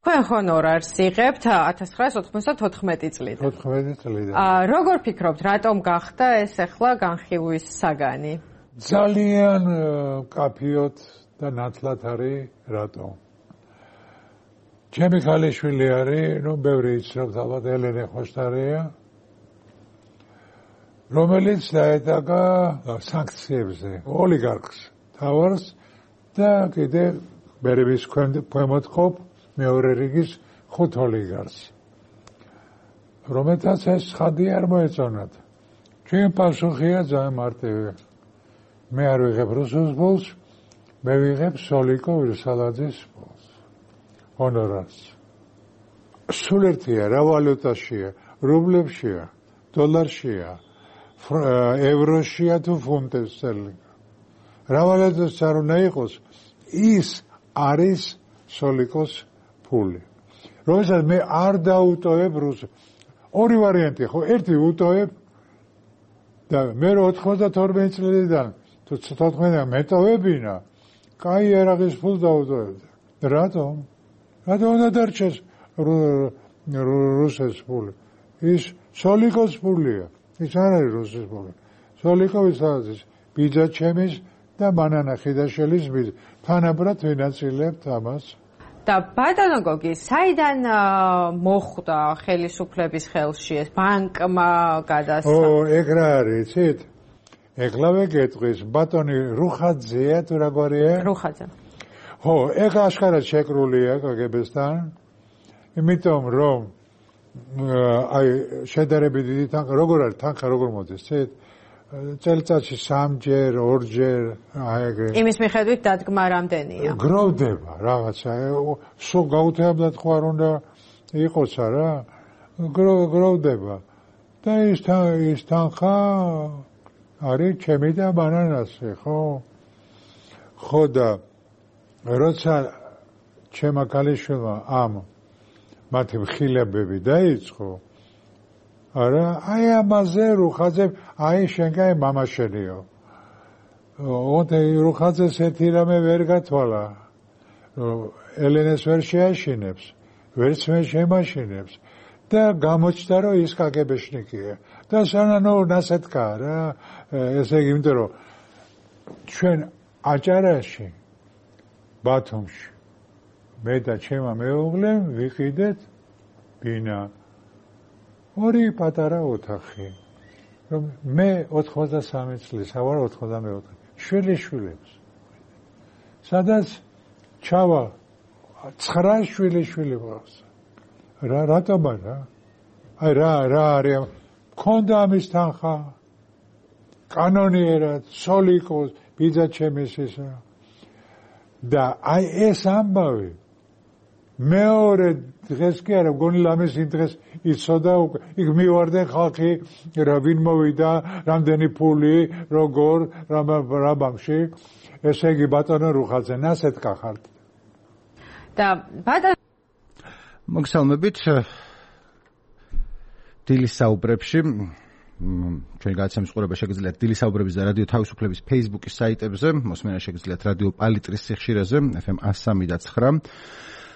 თქვენ ჰონორარს იღებთ 1994 წლიდან. 14 წლიდან. როგორ ფიქრობთ, რატომ გახდა ეს ახლა განხილვის საგანი? ძალიან კაფიოთ და ნათლად არის რატომ. ჩემი ქალიშვილი არის, ბევრი იცნობთ ალბათ ელენე ხოშტარია, რომელიც დაედაგა სანქციებზე ოლიგარქს თავარს და კიდე ბერების ქვემოთ ყოფ მეორე რიგის 5 ოლიგარქს, რომელთაც ეს ცხადი არ მოეწონათ. ჩვენ პასუხია ძალიან მარტივი. მე არ ვიღებ რუსულს ბოლს, მე ვიღებ სოლიკო ვირსალაძის ბოლს. ჰონორარს. სულ ერთია, რა ვალუტაშია, რუბლებშია, დოლარშია, ევროშია თუ ფუნტებს სტერლინგ. რა ვალუტას არ უნდა იყოს, ის არის სოლიკოს ფული. როდესაც მე არ დაუტოვებ რუსულს. ორი ვარიანტია, ხო, ერთი უტოვებ და მე 92 წლიდან თუ 14-დან მეტოვებინა, კაი ერაღის ფულს დაუტოვებდა. რატომ? რატომ უნდა დარჩეს რუსეთის ფული? ის სოლიკოს ფულია. ის არ არის რუსეთის ფული. სოლიკოვის არის ბიძა ჩემის და მანანა ხიდაშელის ბიძა. თანაბრად ვინაწილებთ ამას. და ბატონო გოგი, საიდან მოხვდა ხელისუფლების ხელში ეს ბანკმა გადასცა? ეგ რა არის, იცით? ეხლავე გეტყვის, ბატონი რუხაძეა თუ რაგვარია? რუხაძე. ხო, ეგ აშკარად შეკრულია კგბ-სთან, იმიტომ რომ აი შედარებით დიდი თანხა, როგორ არის თანხა, როგორ მოდის, იცით? წელიწადში 3-ჯერ, 2-ჯერ, აი ეგრე. იმის მიხედვით დადგმა რამდენია? გროვდება რაღაცა, სულ გაუთეაბლად ხო არ უნდა იყოს რა? გროვდება. და ის თანხა არის ჩემი და ბანანასი, ხო? ხო და როცა ჩემმა ქალიშვილმა ამ მათი მხილებები დაიწყო, არა, აი ამაზე რუხაძე, აი შენგან მამა შენიო. ოდე რუხაძეს ერთი რამე ვერ გათვალა. ელენეს ვერ შეაშინებს, ვერც მე შემაშინებს. და გამოჩნდა რომ ის კგბ-შნიკია. და სანანო ნასეთქა რა, ესე იგი, იმიტომ რომ ჩვენ აჭარაში, ბათუმში, მე და ჩემმა მეუღლემ ვიყიდეთ ბინა. ორი პატარა ოთახი. რომ მე 83 წლის, ავარ 94. შვილიშვილებს. სადაც ჩავა 9 შვილიშვილი ყავს. რატომ არა? აი რა არის? მქონდა ამის თანხა. კანონიერად, სოლიკოს, ბიძა ჩემის ისა. და აი ეს ამბავი მეორე დღეს კი არა, მგონი ლამის იმ დღეს იცოდა უკვე, იქ მივარდნენ ხალხი, რა ვინ მოვიდა, რამდენი ფული, როგორ, რა ბანკში. ესე იგი ბატონო რუხაძე, ნასეთქა ხართ. და ბატონო მოგესალმებით დილის საუბრებში ჩვენ გადაცემის ყურება შეგიძლიათ დილის საუბრების და რადიო თავისუფლების Facebook-ის საიტებზე, მოსმენა შეგიძლიათ რადიო პალიტრის სიხშირეზე FM 103.9.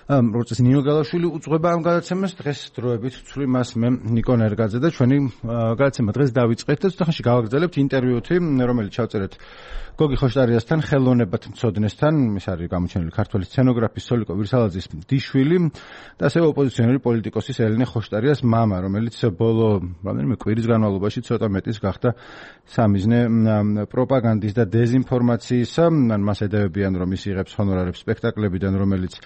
როგორც ნინო გალაშვილი უძღვება ამ გადაცემას, დღეს დროებით ვცვლი მას მე ნიკო ნერგაძე და ჩვენი გადაცემა დღეს დავიწყეთ და ცოტახანში გავაგრძელებთ ინტერვიუთი, რომელიც ჩავწერეთ გოგი ხოშტარიასთან, ხელოვნებად მცოდნესთან, ის არის გამოჩენილი ქართველი სცენოგრაფის სოლიკო ვირსალაძის დიშვილი და ასევე ოპოზიციონერი პოლიტიკოსის ელენე ხოშტარიას მამა, რომელიც ბოლო რამდენიმე კვირის განმავლობაში ცოტა მეტის გახდა სამიზნე პროპაგანდის და დეზინფორმაციისა. მას ედევებიან, რომ ის იღებს ჰონორარებს სპექტაკლებიდან, რომელიც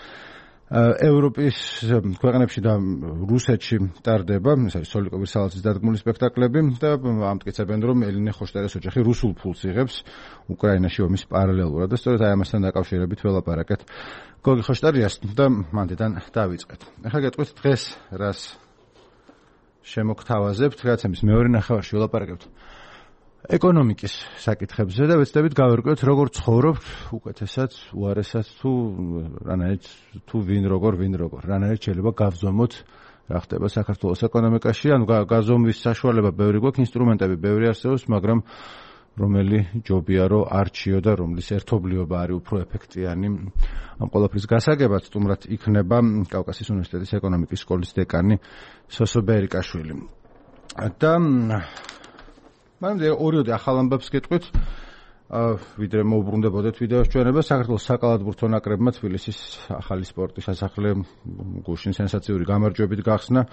ევროპის ქვეყნებში და რუსეთში ტარდება, ეს არის სოლიკო ვირსალაძის დადგმული სპექტაკლები და ამტკიცებენ, რომ ელენე ხოშტარიას ოჯახი რუსულ ფულს იღებს უკრაინაში ომის პარალელურად და სწორედ აი ამასთან დაკავშირებით ველაპარაკეთ გოგი ხოშტარიას და მანდიდან დავიწყეთ. ახლა გეტყვით დღეს რას შემოგთავაზებთ, გადაცემის მეორე ნახევარში ველაპარაკებთ ეკონომიკის საკითხებზე და ვეცდებით გავერკვიოთ როგორ ცხოვრობთ უკეთესად, უარესად თუ ვინ როგორ, რანაირად შეიძლება გავზომოთ რა ხდება საქართველოს ეკონომიკაში, ანუ გაზომვის საშუალება ბევრი გვაქვს, ინსტრუმენტები ბევრი არსებობს, მაგრამ რომელი ჯობია რომ არჩიო და რომლის ერთობლიობა არის უფრო ეფექტიანი ამ ყველაფრის გასაგებად, სტუმრად იქნება კავკასიის უნივერსიტეტის ეკონომიკის სკოლის დეკანი სოსო ბერიკაშვილი. და მაგრამ ორიოდე ახალ ამბებს გეტყვით, ვიდრე მოუბრუნდებოდეთ ვიდეოს ჩვენება, საქართველოს საკალათბურთო ნაკრებმა თბილისის ახალი სპორტის სასახლე გუშინ სენსაციური გამარჯვებით გახსნა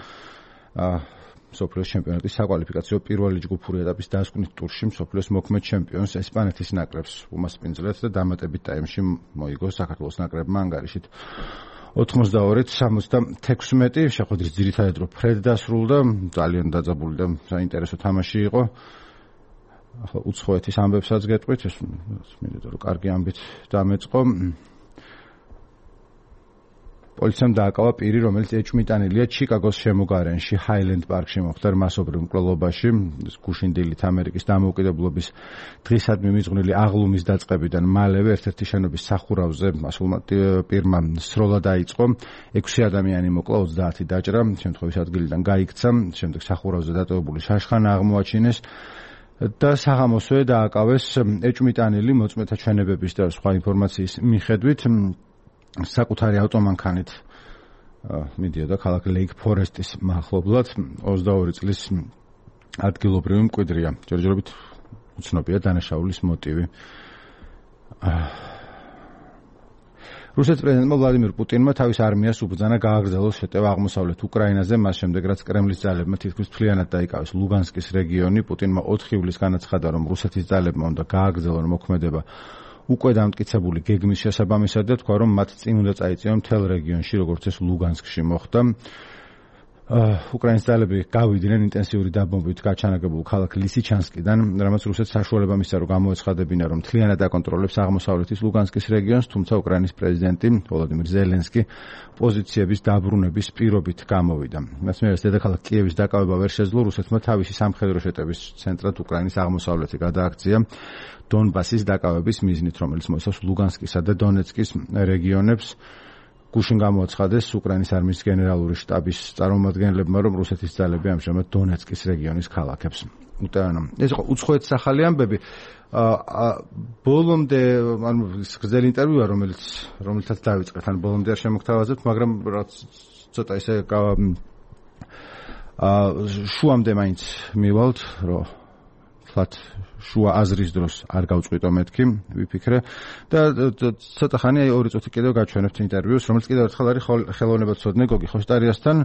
მსოფლიოს ჩემპიონატის საკვალიფიკაციო პირველი ჯგუფური ეტაპის დასკვნით ტურში მსოფლიოს მოქმედ ჩემპიონს ესპანეთის ნაკრებს უმასპინძლეთ და დამატებით ტაიმში მოიგო საქართველოს ნაკრებმა ანგარიშით 82-76. შეხვედრის ძირითადად რო ფრედ დასრულდა, ძალიან დაძაბული და საინტერესო თამაში იყო. ახლა უცხოეთის ამბებსაც გეტყვით, ეს მინდა რომ კარგი ამბით დამეწყო. პოლიციამ დააკავა პირი, რომელიც ეჭვმიტანილია ჩიკაგოს შემოგარენში, ჰაილენდ პარკში მოხდა მასობრივ მკვლელობაში, გუშინდილით ამერიკის დამოუკიდებლობის დღისადმი მიძღვნილი აღლუმის დაწყებიდან მალევე ერთ-ერთი შენობის სახურავზე მასულმა პირმა სროლა დაიწყო. 6 ადამიანი მოკლა, 30 დაჭრა, შემთხვევის ადგილიდან გაიქცა, შემდეგ სახურავზე დატოვებული შაშხანა აღმოაჩინეს. და საღამოსვე დააკავეს ეჭვმიტანილი მოწმეთა ჩვენებების და სხვა ინფორმაციის მიხედვით საკუთარი ავტომანქანით მიდიოდა ქალაქ ლეიქ ფორესტის მახლობლად 22 წლის ადგილობრივი მკვიდრია. ჯერჯერობით უცნობია დანაშაულის მოტივი. რუსეთის პრეზიდენტმა ვლადიმირ პუტინმა თავის არმიას უბრძანა გააგრძელოს შეტევა აღმოსავლეთ უკრაინაზე, მას შემდეგ რაც კრემლის ძალებმა თითქმის მთლიანად დაიკავეს ლუგანსკის რეგიონი. პუტინმა 4 ივლისს განაცხადა, რომ რუსეთის ძალებმა უნდა გააგრძელონ მოქმედება უკვე დამტკიცებული გეგმის შესაბამისად და თქვა, რომ მათ წინ უნდა წაიწიონ მთელ რეგიონში, როგორც ეს ლუგანსკში მოხდა. უკრაინის ძალები გავიდნენ ინტენსიური დაბომბვით გაჩანაგებულ ქალაქ ლისიჩანსკიდან, რამაც რუსეთს საშუალება მისცა, რომ გამოეცხადებინა, რომ მთლიანად აკონტროლებს აღმოსავლეთის ლუგანსკის რეგიონს, თუმცა უკრაინის პრეზიდენტი ვოლოდიმირ ზელენსკი პოზიციების დაბრუნების პირობით გამოვიდა. მასმერეს დედაქალაქ კიევის დაკავება ვერ შეძლო, რუსეთმა თავისი სამხედრო შეტევის ცენტრად უკრაინის აღმოსავლეთი გადააქცია დონბასის დაკავების მიზნით, რომელიც მოიცავს ლუგანსკისა და დონეცკის რეგიონებს. გუშინ გამოაცხადეს უკრაინის არმიის გენერალური შტაბის წარმომადგენლებმა, რომ რუსეთის ძალები ამჟამად დონეცკის რეგიონის ქალაქებს უტევენ. ეს იყო უცხოეთის ახალი ამბები. ბოლომდე, ანუ გრძელი ინტერვიუა, რომელთაც დავიწყეთ, ან ბოლომდე არ შემოგთავაზებთ, მაგრამ რაც ცოტა ისე შუამდე მაინც მივალთ, რომ თლათ შუა აზრის დროს არ გავწყვიტო მეთქი, ვიფიქრე და ცოტა ხანი აი 2 წუთი კიდევ გაჩვენებთ ინტერვიუს, რომელიც კიდევ ერთხელ არის ხელოვნებაცოდნე გოგი ხოშტარიასთან.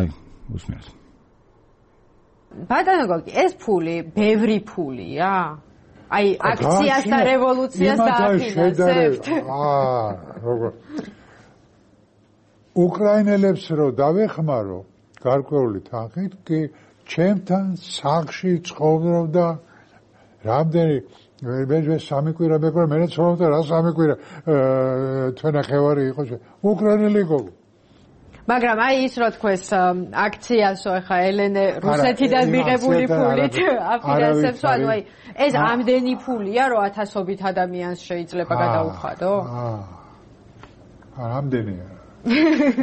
აი, უსმენთ. ბატონო გოგი, ეს ფული, ბევრი ფულია? აი, აქციას და რევოლუციას დააფინანსებთ? როგორ უკრაინელებს რო დავეხმარო გარკვეული თანხით, კი ჩემთან სახლში ცხოვრობდა რამდენი მე სამი კვირა მეკვრა, მე ცხოვრობდა რა სამი კვირა თვენახევარი იყო უკრაინელი გოგო. მაგრამ აი ის რო თქვეს აქციასო ახლა ელენე რუსეთიდან მიღებული ფულით აფინანსებს, ანუ აი ეს ამდენი ფულია, რომ ათასობით ადამიანს შეიძლება გადაუხადო? ამდენია.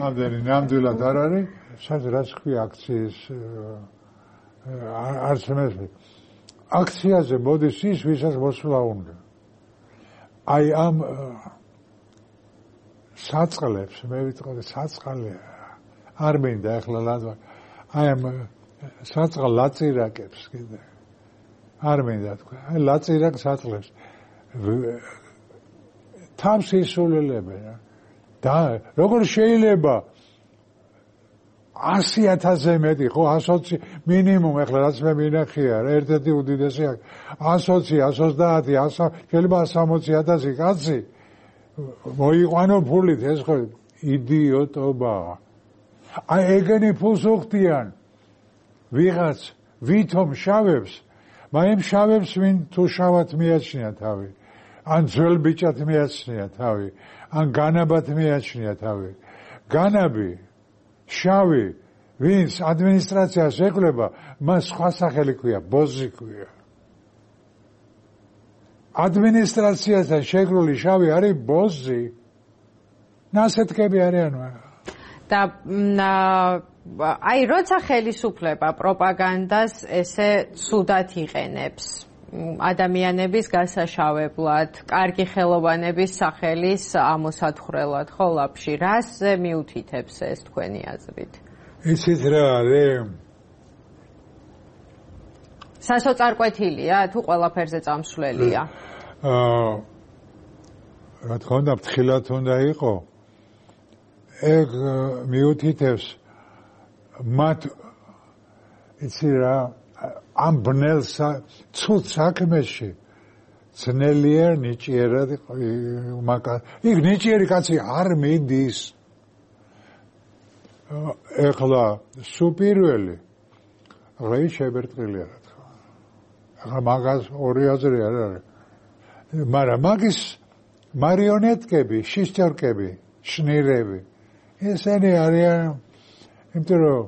ამდენი ნამდვილად არ არის, სადაც რაც ქვია აქციის არც მესმის. აქციაზე მოდის ის, ვისაც მოსვლა უნდა. აი ამ საწყლებს, მე ვიტყოდი საწყალე არ მინდა ახლა ლადვა. აი ამ საწყალ ლაწირაკებს კიდე. არ მინდა თქვა. აი ლაწირაკ საწყლებს. თავს ისულელებენ. და როგორ შეიძლება 100,000-ზე მეტი, ხო 120 მინიმუმ, ახლა რაც მე მინახია, ერთ-ერთი უდიდესი 120, 130, შეიძლება 160,000 კაცი მოიყვანო ფულით, ეს ხო იდიოტობაა. აი ეგენი ფულს უხდიან ვიღაც ვითომ შავებს, მაგრამ შავებს ვინ თუ შავად მიაჩნია თავი, ან ძველ ბიჭად მიაჩნია თავი, ან განაბად მიაჩნია თავი. განაბი შავი, ვინც ადმინისტრაციას ეკვლება, მას სხვა სახელი ქვია, ბოზი ქვია. ადმინისტრაციასთან შეკრული შავი არის ბოზი. ნასეთქები არიან. და აი როცა ხელისუფლება პროპაგანდას ესე ცუდად იყენებს, ადამიანების გასაშავებლად, კარგი ხელოვანების სახელის ამოსათხრელად, ხო ლაპში, რასზე მიუთითებს ეს თქვენი აზრით? იცით რა არის? სასოწარკვეთილია თუ ყველაფერზე წამსვლელია? რა თქმა უნდა, ფრთხილად უნდა იყო. ეგ მიუთითებს მათ იცი რა ამ ბნელ ცუდ საქმეში ძნელიერ ნიჭიერად იქ ნიჭიერი კაცი არ მიდის. ეხლა სუპირველი რეი შებერტყილია რა თქმა. ეხლა მაგას ორი აზრი არ არის. მაგრამ მაგის მარიონეტკები, შიშტორკები, შნირები ესენი არიან იმიტომ რომ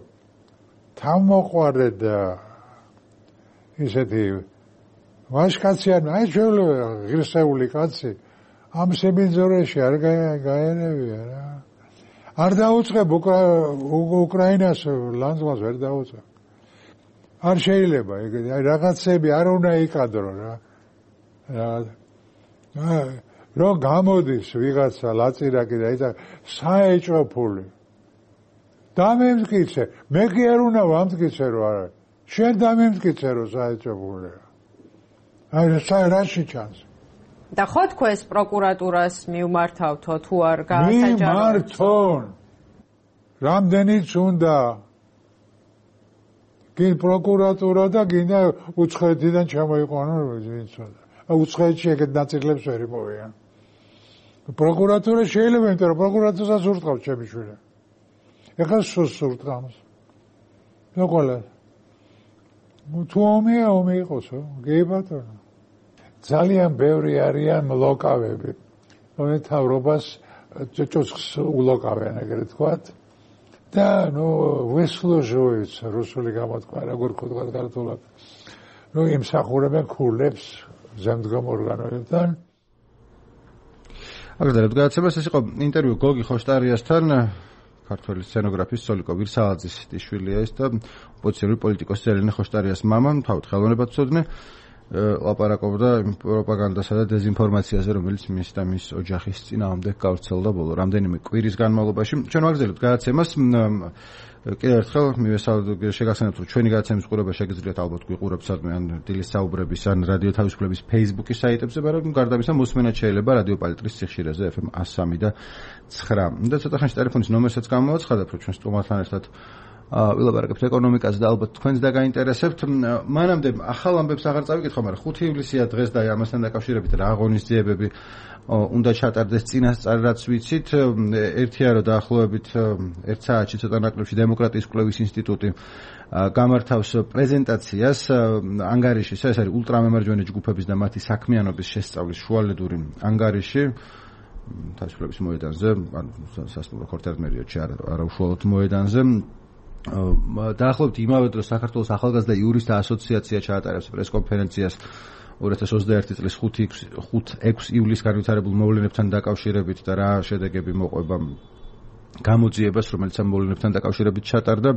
თავმოყვარე და ისეთი ვაჟკაცი აი შეიძლება ღირსეული კაცი ამ სებინძორეში არ გაერევია რა. არ დაუწყებ უკრაინას ლანძღვას ვერ დაუწყებ. არ შეიძლება აი რაღაცები არ უნდა იკადრო რა. რომ გამოდის ვიღაცა ლაწირაკი და ისა საეჭვო ფული დამემტკიცე მე კი არ უნდა ვამტკიცე რომ არა შენ დამემტკიცე რომ საეჭვო ფული აი რაში ჩანს და ხო თქვენს პროკურატურას მიუმართავთო თუ არ გაასაჯაროთ მიმართონ რამდენიც უნდა გინ პროკურატურა და გინდა უცხოეთიდან ჩამოიყვანო ვინცოდა უცხოეთში ეგეთ ნაწილებს ვერ იპოვიან პროკურატურა შეიძლება იმიტომ რომ პროკურატურას ურტყავს ჩემი შვილი. ეხლა სულს ურტყავს. რა ყველა. თუ ომი იყოსო, გეი ბატონო. ძალიან ბევრი არიან მლოკავები. რომელი თავრობას ჭოჭოს ულოკავენ ეგრეთ ვთქვათ. და ვესლოჟოიც რუსული გამოთქვა როგორ ხდება ქართულად. იმსახურებენ ქულებს ზემდგომ ორგანოებთან. აგრეთვე გადაცემას ეს იყო ინტერვიუ გოგი ხოშტარიასთან ქართველი სცენოგრაფის სოლიკო ვირსალაძის ტიშვილია ის და ოპოზიციური პოლიტიკოსი ელენე ხოშტარიას მამა თავად ხელოვნებად ცოდნე ლაპარაკობდა პროპაგანდასა და დეზინფორმაციაზე რომელიც მის და მის ოჯახის წინააღმდეგ გავრცელდა ბოლო რამდენიმე კვირის განმავლობაში ჩვენ ვაგრძელებთ გადაცემას კიდევ ერთხელ მივესალმებით შეგახსენებთ რომ ჩვენი გადაცემის ყურება შეგიძლიათ ალბათ გვიყურებთ სადმე ან დილის საუბრების ან რადიო თავისუფლების Facebook-ის საიტებზე მაგრამ გარდა ამისა მოსმენად შეიძლება რადიო პალიტრის სიხშირეზე FM 103 და 9 და ცოტა ხანში ტელეფონის ნომერსაც გამოვაცხადებ რომ ჩვენ სტუმართან ერთად ვილაპარაკებთ ეკონომიკაზე და ალბათ თქვენს დაგაინტერესებთ მანამდე ახალ ამბებს აღარ წავიკითხო მაგრამ 5 ივლისია დღეს და ამასთან დაკავშირებით რა აღონისძიებები უნდა ჩატარდეს წინასწარ რაც ვიცით ერთია რომ დაახლოებით 1 საათში ცოტა ნაკლებში დემოკრატიის კვლევის ინსტიტუტი გამართავს პრეზენტაციას ანგარიშის ეს არის ულტრამემარჯვენე ჯგუფების და მათი საქმიანობის შესწავლის შუალედური ანგარიში თავისუფლების მოედანზე ან სასტუმრო ქორთერმერიოდში არა უშუალოდ მოედანზე დაახლოებით იმავე დროს საქართველოს ახალგაზრდა იურისტთა ასოციაცია ჩაატარებს პრესკონფერენციას 2021 წლის 5-6 ივლისს განვითარებულ მოვლენებთან დაკავშირებით და რა შედეგები მოყვება გამოძიებას, რომელიც ამ მოვლენებთან დაკავშირებით ჩატარდა.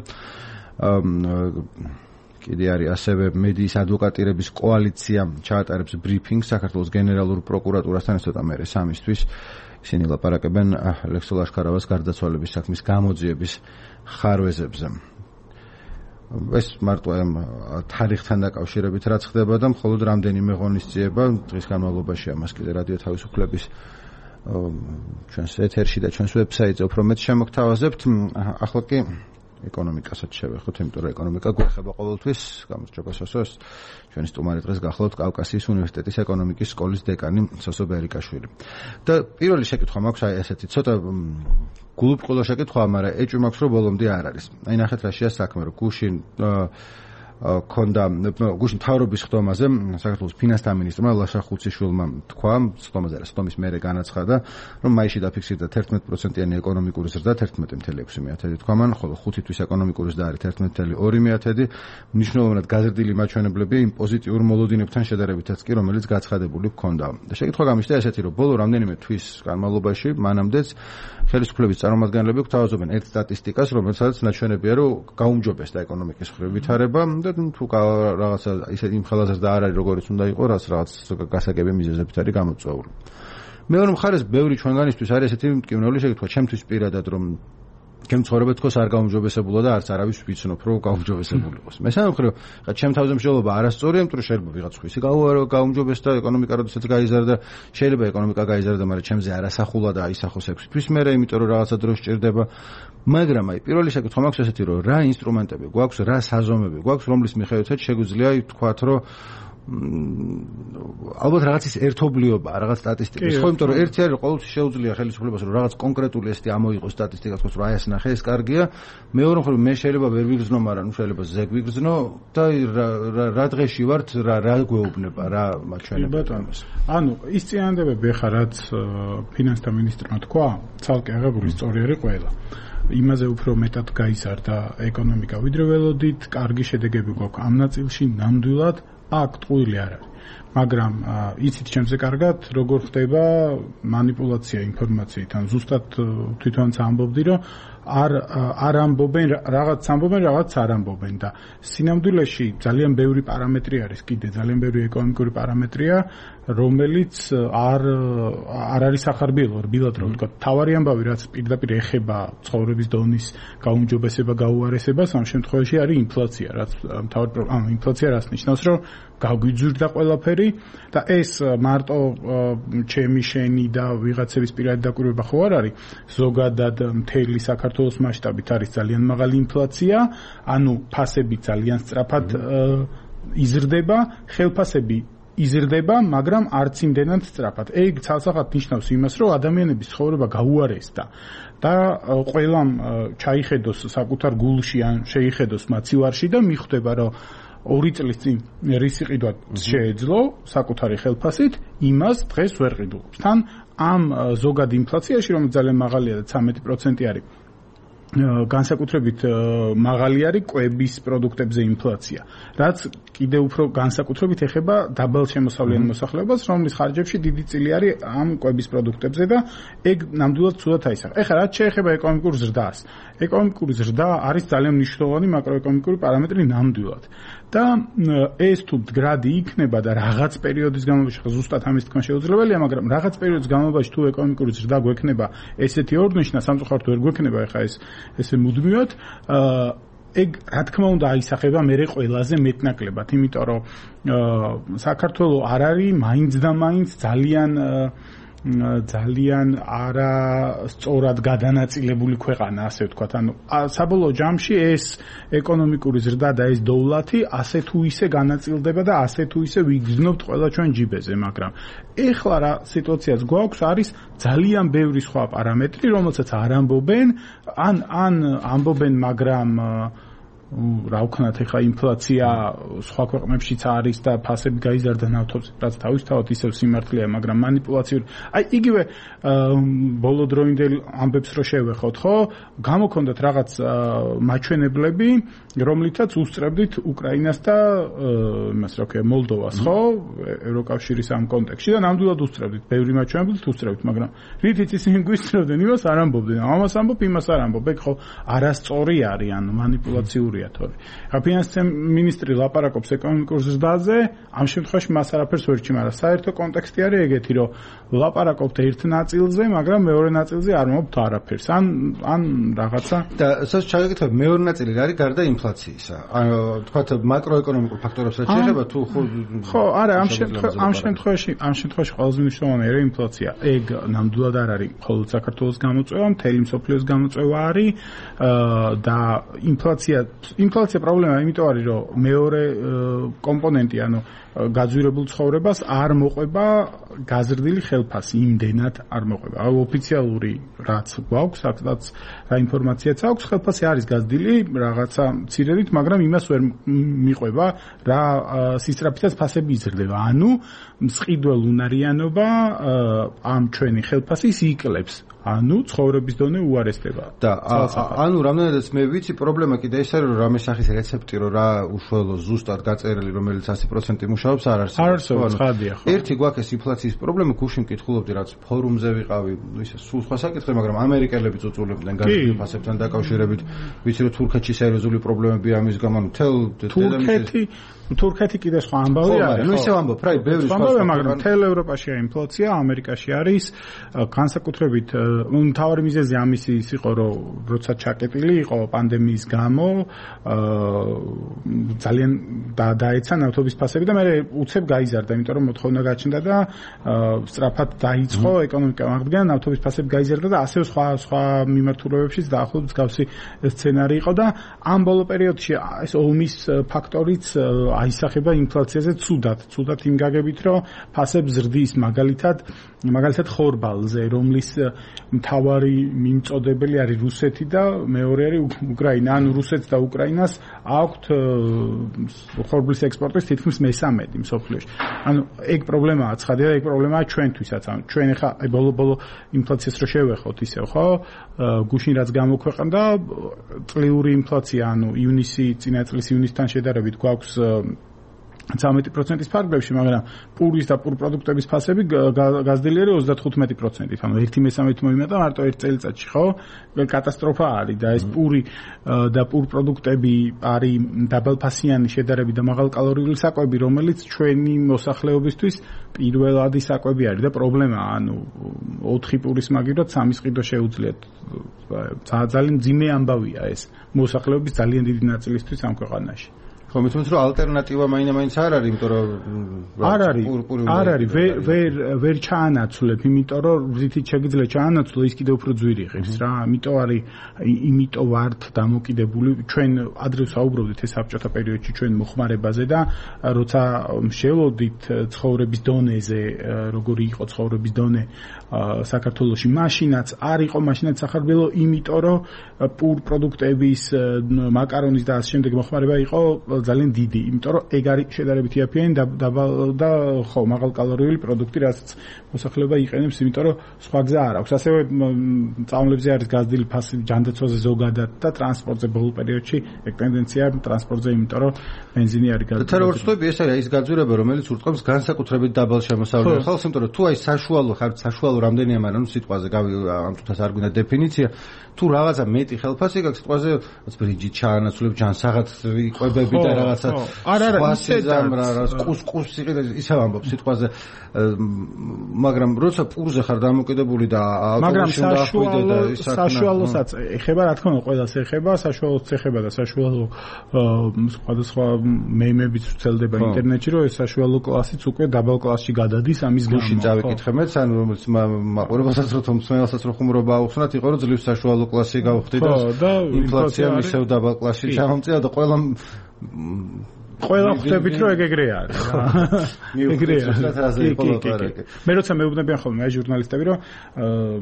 კიდე არის ასევე მედიის ადვოკატირების კოალიცია ჩაატარებს ბრიფინგს საქართველოს გენერალურ პროკურატურასთან ცოტა მერე სამისთვის. ისინი ლაპარაკებენ ლექსო ლაშქარავას გარდაცვალების საქმის გამოძიების ხარვეზებზე. ეს მარტო ამ თარიღთან დაკავშირებით რაც ხდება და მხოლოდ რამდენიმე ღონისძიება დღის განმავლობაში ამას კიდე რადიო თავისუფლების ჩვენს ეთერში და ჩვენს ვებსაიტზე უფრო მეტ შემოგთავაზებთ ახლა კი ეკონომიკასაც შევეხოთ იმიტომ რომ ეკონომიკა გვეხება ყოველთვის გამარჯობა სოსოს ჩვენი სტუმარი დღეს გახლავთ კავკასიის უნივერსიტეტის ეკონომიკის სკოლის დეკანი სოსო ბერიკაშვილი და პირველი შეკითხვა მაქვს აი ესეთი ცოტა გულუბრყვილო შეკითხვა, მაგრამ ეჭვი მაქვს რომ ბოლომდე არ არის. აი ნახეთ რაშია საქმე, რომ გუშინ გუშინ თავრობის ხდომაზე საქართველოს ფინანსთა მინისტრმა ლაშა ხუციშვილმა თქვა, ხდომის მერე განაცხადა, რომ მაისში დაფიქსირდა 11%-იანი ეკონომიკური ზრდა 11.6 თქვა მან, ხოლო 5 თვის ეკონომიკური ზრდა არის 11.2, მნიშვნელოვნად გაზრდილი მაჩვენებლები იმ პოზიტიურ მოლოდინებთან შედარებითაც კი, რომელიც გაცხადებული ჰქონდა. და შეკითხვა გამიშთა ესეთი, რომ ბოლო რამდენიმე თვის განმავლობაში მანამდეც ხელისუფლების წარმომადგენლები გვთავაზობენ ერთ სტატისტიკას, რომელსაც ნაჩვენებია, რომ გაუმჯობესდა ეკონომიკის მხრივ ვითარება და და თუ რაღაცა ისე იმ ხელაზრდა არ არის როგორიც უნდა იყოს, რაღაც გასაგები მიზეზებით არის გამოწვეული. მეორე მხარეს ბევრი ჩვენგანისთვის არის ესეთი მტკივნეული შეკითხვა, ჩემთვის პირადად რომ ჩემ ცხოვრება თქოს არ გაუმჯობესებულა და არც არავის ვიცნობ რომ გაუმჯობესებული იყოს. მესამე მხრივ, ხა ჩემ თავზე მსჯელობა არასწორია, იმიტომ რომ შეიძლება ვიღაც ხვისი გაუმჯობესდა ეკონომიკა როდესაც გაიზარდა, შეიძლება ეკონომიკა გაიზარდა, მაგრამ ჩემზე არასახულა და აისახოს 6 თვის მერე, იმიტომ რომ რაღაცა დრო სჭირდება. მაგრამ აი პირველი შეკითხვა მაქვს ესეთი რომ რა ინსტრუმენტები გვაქვს, რა საზომები გვაქვს, რომლის მიხედვითაც შეგვიძლია ვთქვათ რომ ალბათ რაღაცის ერთობლიობა, რაღაც სტატისტიკის. ხო, იმიტომ რომ ერთი არის ყოველთვის შეუძლია ხელისუფლებას რომ რაღაც კონკრეტული ესეთი ამოიღოს სტატისტიკა, თქოს რომ აი ეს ნახე, ეს კარგია. მეორე მხრივ მე შეიძლება ვერ ვიგრძნო, მაგრამ ნუ შეიძლება ზეგ ვიგრძნო და რა დღეში ვართ, რა გვეუბნება, რა მაჩვენებთ ამას. ანუ ის წინადადებები ხა რაც ფინანსთა მინისტრმა თქვა, ცალკე აღებული სწორი არის ყველა. იმაზე უფრო მეტად გაიზარდა ეკონომიკა, ვიდრე ველოდით, კარგი შედეგები გვაქვს ამ ნაწილში, ნამდვილად აქ ტყუილი არ არის. მაგრამ იცით ჩემზე კარგად, როგორ ხდება манипуляция ინფორმაციით, ან ზუსტად თვითონაც ამბობდი, რომ არ ამბობენ, რაღაც ამბობენ, რაღაც არ ამბობენ და სინამდვილეში ძალიან ბევრი პარამეტრი არის, კიდე ძალიან ბევრი ეკონომიკური პარამეტრია, რომელიც არ არის სახარბიელო, რბილად რომ ვთქვა. თავარი ამბავი, რაც პირდაპირ ეხება ცხოვრების დონის გაუმჯობესება, გაუარესებას, ამ შემთხვევაში არის ინფლაცია, რაც თავი ინფლაცია რას ნიშნავს, რომ გაგვიძვირდა ყველაფერი და ეს მარტო ჩემი შენი და ვიღაცების პირადი დაკვირვება ხო არ არის, ზოგადად მთელი საქართველოს მასშტაბით არის ძალიან მაღალი ინფლაცია, ანუ ფასები ძალიან სწრაფად იზრდება, ხელფასები იზრდება, მაგრამ არც იმდენად სწრაფად. ეგ ცალსახად ნიშნავს იმას, რომ ადამიანების ცხოვრება გაუარესდა და ყველამ ჩაიხედოს საკუთარ გულში ან შეიხედოს მაცივარში და მიხვდება, რომ 2 წლის წინ რისი ყიდვა შეეძლო საკუთარი ხელფასით, იმას დღეს ვერ ყიდულობს. თან ამ ზოგად ინფლაციაში, რომელიც ძალიან მაღალია და 13% არის, განსაკუთრებით მაღალი არის კვების პროდუქტებზე ინფლაცია, რაც კიდევ უფრო განსაკუთრებით ეხება დაბალშემოსავლიან მოსახლეობას, რომლის ხარჯებში დიდი წილი არის ამ კვების პროდუქტებზე და ეგ ნამდვილად ცუდად აისახა. ეხლა რაც შეეხება ეკონომიკურ ზრდას. ეკონომიკური ზრდა არის ძალიან მნიშვნელოვანი მაკროეკონომიკური პარამეტრი ნამდვილად. და ეს თუ მდგრადი იქნება და რაღაც პერიოდის განმავლობაში, ზუსტად ამის თქმა შეუძლებელია, მაგრამ რაღაც პერიოდის განმავლობაში თუ ეკონომიკური ზრდა გვექნება ესეთი ორნიშნა, სამწუხაროდ ვერ გვექნება ეხლა ესე მუდმივად, ეგ რა თქმა უნდა აისახება მერე ყველაზე მეტნაკლებად, იმიტომ რომ საქართველოს არ არის მაინც და მაინც ძალიან არასწორად გადანაწილებული ქვეყანა, ასე ვთქვათ. ანუ საბოლოო ჯამში ეს ეკონომიკური ზრდა და ეს დოვლათი ასე თუ ისე განაწილდება და ასე თუ ისე ვიგრძნობთ ყველა ჩვენ ჯიბეზე, მაგრამ ეხლა რა სიტუაციაც გვაქვს, არის ძალიან ბევრი სხვა პარამეტრი, რომელსაც არ ამბობენ, ან ამბობენ, მაგრამ რა ვქნათ, ეხლა ინფლაცია სხვა ქვეყნებშიც არის და ფასები გაიზარდა ნავთობზე, რაც თავისთავად ისევ სიმართლეა, მაგრამ манипуляციური. აი იგივე ბოლო დროინდელ ამბებს რო შევეხოთ, ხო? გამოქონდათ რაღაც მაჩვენებლები, რომლითაც უსწრებდით უკრაინას და იმას რა ქვია, მოლდოვას, ხო? ევროკავშირის ამ კონტექსტში და ნამდვილად უსწრებდით, ბევრი მაჩვენებლით უსწრებდით, მაგრამ რითიც ისინი გვისწრებდნენ, იმას არ ამბობდნენ. ამას ამბობ, იმას არ ამბობ. ეგ ხო არასწორი არის, ანუ манипуляციური ხა ფინანსთა მინისტრი ლაპარაკობს ეკონომიკურ ზრდაზე, ამ შემთხვევაში მას არაფერს ვერ ჭი, მაგრამ საერთო კონტექსტი არის ეგეთი, რომ ლაპარაკობთ ერთ ნაწილზე, მაგრამ მეორე ნაწილზე არ მომობთ არაფერს. ან რაღაცა და სადაც ჩაგეკითხებ, მეორე ნაწილი რა არის გარდა ინფლაციისა? ანუ თქვათ макроეკონომიკურ ფაქტორებსაც შეეხება თუ ხო, არა, ამ შემთხვევაში ყველაზე მნიშვნელოვანი არის ინფლაცია. ეგ ნამდვილად არ არის მხოლოდ საქართველოს გამოწვევა, მთელი მსოფლიოს გამოწვევა არის და ინფლაცია პრობლემა იმიტომ არის, რომ მეორე კომპონენტი, ანუ გაძვირებულ ცხოვრებას არ მოყვება გაზრდილი ხელფასი, იმდენად არ მოყვება. აი ოფიციალური რაც გვაქვს, რაც რა ინფორმაციაც აქვს, ხელფასი არის გაზრდილი რაღაცა მცირედით, მაგრამ იმას ვერ მიყვება რა სისწრაფითაც ფასები იზრდება. ანუ მსყიდველ უნარიანობა ამ ჩვენი ხელფასის იკლებს. ანუ ცხოვრების დონე უარესდება. და ანუ რამდენადაც მე ვიცი, პრობლემა კიდე ის არის, რომ რამე სახის რეცეპტი, რომ რა უშუალო ზუსტად გაწერილი, რომელიც 100% მუშაობს, მუშაობს არ არსებობს ხადია ხო ერთი გვაქვს ეს ინფლაციის პრობლემა გუშინ მკითხულობდი რაც ფორუმზე ვიყავი ისე სულ სხვა საკითხი მაგრამ ამერიკელები წუწულებდნენ გაზრდილ ფასებთან დაკავშირებით ვიცი რომ თურქეთში სერიოზული პრობლემები ამის გამო თურქეთი კიდე სხვა ამბავი არის ხო ისე ვამბობ რა ბევრი სხვა ამბავი მაგრამ მთელ ევროპაშია ინფლაცია ამერიკაში არის განსაკუთრებით მთავარი მიზეზი ამისი ის იყო რომ როცა ჩაკეტილი იყო პანდემიის გამო ძალიან დაეცა ნავთობის ფასები და მე უცებ გაიზარდა იმიტომ რომ მოთხოვნა გაჩნდა და სწრაფად დაიწყო ეკონომიკა აღდგენა ნავთობის ფასები გაიზარდა და ასევე სხვა მიმართულებებშიც დაახლოებით მსგავსი სცენარი იყო და ამ ბოლო პერიოდში ეს ომის ფაქტორიც აისახება ინფლაციაზე ცუდად იმ გაგებით რომ ფასები ზრდის მაგალითად ხორბალზე რომლის მთავარი მიმწოდებელი არის რუსეთი და მეორე არის უკრაინა ანუ რუსეთს და უკრაინას აქვთ ხორბლის ექსპორტის თითქმის მესამედი მსოფლიოში ანუ ეგ პრობლემაა ცხადია ეგ პრობლემაა ჩვენთვისაც ანუ ჩვენ ახლა ბოლო ინფლაციას რო შევეხოთ ისევ ხო გუშინ რაც გამოქვეყნდა წლიური ინფლაცია ანუ წინა წლის ივნისთან შედარებით გვაქვს 13%-ის ფარგლებში, მაგრამ პურის და პურ პროდუქტების ფასები გაზრდილი არის 35%-ით. ანუ 1/3 მომიმატა მარტო ერთ წელიწადში, ხო? კატასტროფა არის და ეს პური და პურ პროდუქტები არის დაბალფასიანი შედარებით და მაღალკალორიული საკვები, რომელიც ჩვენი მოსახლეობისთვის პირველადი საკვები არის და პრობლემაა, ანუ 4 პურის მაგივრად 3 ყიდვა შეუძლიათ. ძალიან მძიმე ამბავია ეს მოსახლეობის ძალიან დიდი ნაწილისთვის ამ ქვეყანაში. ხო მithumets რომ ალტერნატივა მაინც არ არის, იმიტომ რომ არ არის, ვერ ჩაანაცვლებ, იმიტომ რომ ზითით შეგიძლია ჩაანაცვლო ის კიდევ უფრო ძვირი ღირს რა. იმიტომ ვართ დამოკიდებული ჩვენ ადრე საუბრობდით ეს საბჭოთა პერიოდში ჩვენ მოხმარებაზე და როცა შევლოდით ცხოვრების დონეზე, როგორი იყო ცხოვრების დონე საქართველოში, მაშინაც არ იყო მაშინაც სახარბელო, იმიტომ რომ პურ პროდუქტების მაკარონის და ამ შემდეგ მოხმარება იყო ძალიან დიდი, იმიტომ რომ ეგ არის შედარებით იაფიანი და ხო მაღალკალორიული პროდუქტი, რასაც მოსახლეობა იყენებს, იმიტომ რომ სხვა გზა არ აქვს. ასევე წამლებზე არის გაზრდილი ფასი ჯანდაცვაზე ზოგადად და ტრანსპორტზე ბოლო პერიოდში ეგ ტენდენციაა ტრანსპორტზე, იმიტომ რომ ბენზინი არის გაზრდილი. და როგორც ვთქვი, ეს არის ის გაძვირება, რომელიც ურტყამს განსაკუთრებით დაბალ შემოსავლიან ხალხს, იმიტომ რომ თუ აი საშუალო რამდენია, მაგრამ სიტყვაზე ამ თუთას არ გვინდა დეფინიცია, თუ რაღაცა მეტი ხელფასი გაქვს სიტყვაზე, რაც ბრიჯით ჩაანაცვლებ ჯანსაღად იყვებები და რაღაცა კუსკუსი ისე ვამბობ სიტყვაზე, მაგრამ როცა პურზე ხარ დამოკიდებული და ალკოჰოლში უნდა ახვიდე და ის საშუალოსაც ეხება, რა თქმა უნდა, ყველას ეხება, საშუალოც ეხება და საშუალო სხვადასხვა მეიმებიც ვრცელდება ინტერნეტში, რომ ეს საშუალო კლასიც უკვე დაბალ კლასში გადადის ამის გამო. გუშინ წავიკითხე მეც, ანუ რომელიც მაყურებელსაც რო მსმენელსაც რო ხუმრობა აუხსნათ, იყო რომ ძლივ საშუალო კლასი გავხდი და ინფლაცია ისევ დაბალ კლასში ჩამომწია და ყველა ხვდებით რომ ეგრე არის რა. ეგრე არის. მე როცა მეუბნებიან ხოლმე აი ჟურნალისტები რომ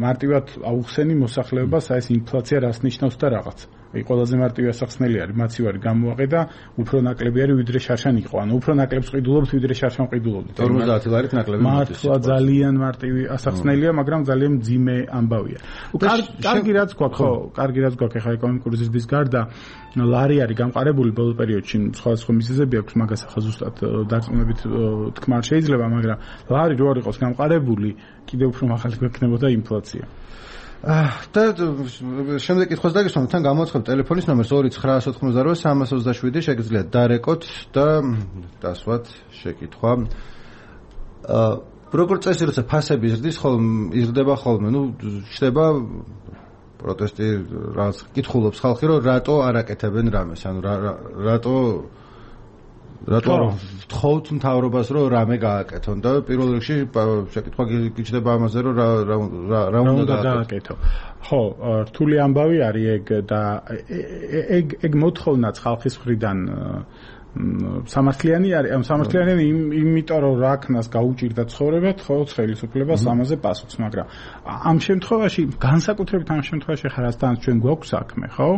მარტივად აუხსენი მოსახლეობას აი ეს ინფლაცია რას ნიშნავს და რაღაც. აი ყველაზე მარტივი ასახსნელი არის მაცივარი გამოაყედა უფრო ნაკლები არის ვიდრე შარშან იყო. ანუ უფრო ნაკლებს ყიდულობთ ვიდრე შარშან ყიდულობთ. 50 ლარით ნაკლები. მართლა ძალიან მარტივი ასახსნელია, მაგრამ ძალიან მძიმე ამბავია. კარგი რაც გვაქვს, ხო, კარგი რაც გვაქვს ახლა ეკონომიკური ზრდის გარდა ლარი არის გამყარებული ბოლო პერიოდში, სხვადასხვა მიზეზები აქვს, მაგას ახლა ზუსტად დარწმუნებით თქმა არ შეიძლება, მაგრამ ლარი რო არ იყოს გამყარებული, კიდევ უფრო მაღალი გვექნებოდა ინფლაცია. და შემდეგ კითხვას დაგისვამთ, თან გამოაცხადებ ტელეფონის ნომერს 2988327 შეგიძლიათ დარეკოთ და დასვათ შეკითხვა. როგორც წესი, როცა ფასები იზრდება ხოლმე, ჩდება პროტესტი, რაც კითხულობს ხალხი, რომ რატო არ აკეთებენ რამეს, ანუ რატო ვთხოვთ მთავრობას, რომ რამე გააკეთონ და პირველ რიგში შეკითხვა გიჩნდება ამაზე, რომ რა უნდა გააკეთო. ხო, რთული ამბავი არის ეგ და ეგ მოთხოვნაც ხალხის მხრიდან სამართლიანი არის, სამართლიანი იმიტომ რომ რაკნას გაუჭირდა ცხოვრებად, ხო, ხელისუფლებას ამაზე პასუხს, მაგრამ ამ შემთხვევაში, განსაკუთრებით ამ შემთხვევაში ხარასთან ჩვენ გვაქვს საქმე, ხო?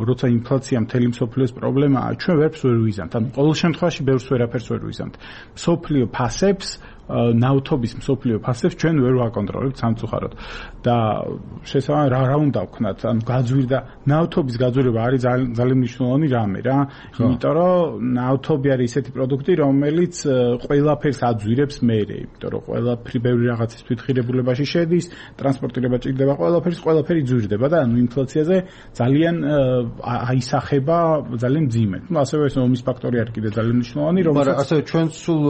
როცა ინფლაცია მთელი მსოფლიოს პრობლემაა, ჩვენ ვერაფერს ვერ ვიზამთ. ანუ ყოველ შემთხვევაში ბევრს ვერაფერს ვერ ვიზამთ. მსოფლიო ფასებს ნავთობის მსოფლიო ფასებს ჩვენ ვერ ვაკონტროლებთ სამწუხაროდ და შესაბამისად რა უნდა ვქნათ ანუ გაძვირდა ნავთობის გაძვირება არის ძალიან მნიშვნელოვანი რამე რა იმიტომ რომ ნავთობი არის ისეთი პროდუქტი რომელიც ყველაფერს აძვირებს მერე იმიტომ რომ ყველაფერი ბევრი რაღაცის თვითღირებულებაში შედის ტრანსპორტირება ჭირდება ყველაფერი ძვირდება და ანუ ინფლაციაზე ძალიან აისახება ძალიან მძიმედ ну ასევე ეს ომის ფაქტორი არის კიდე ძალიან მნიშვნელოვანი მაგრამ ასევე ჩვენ სულ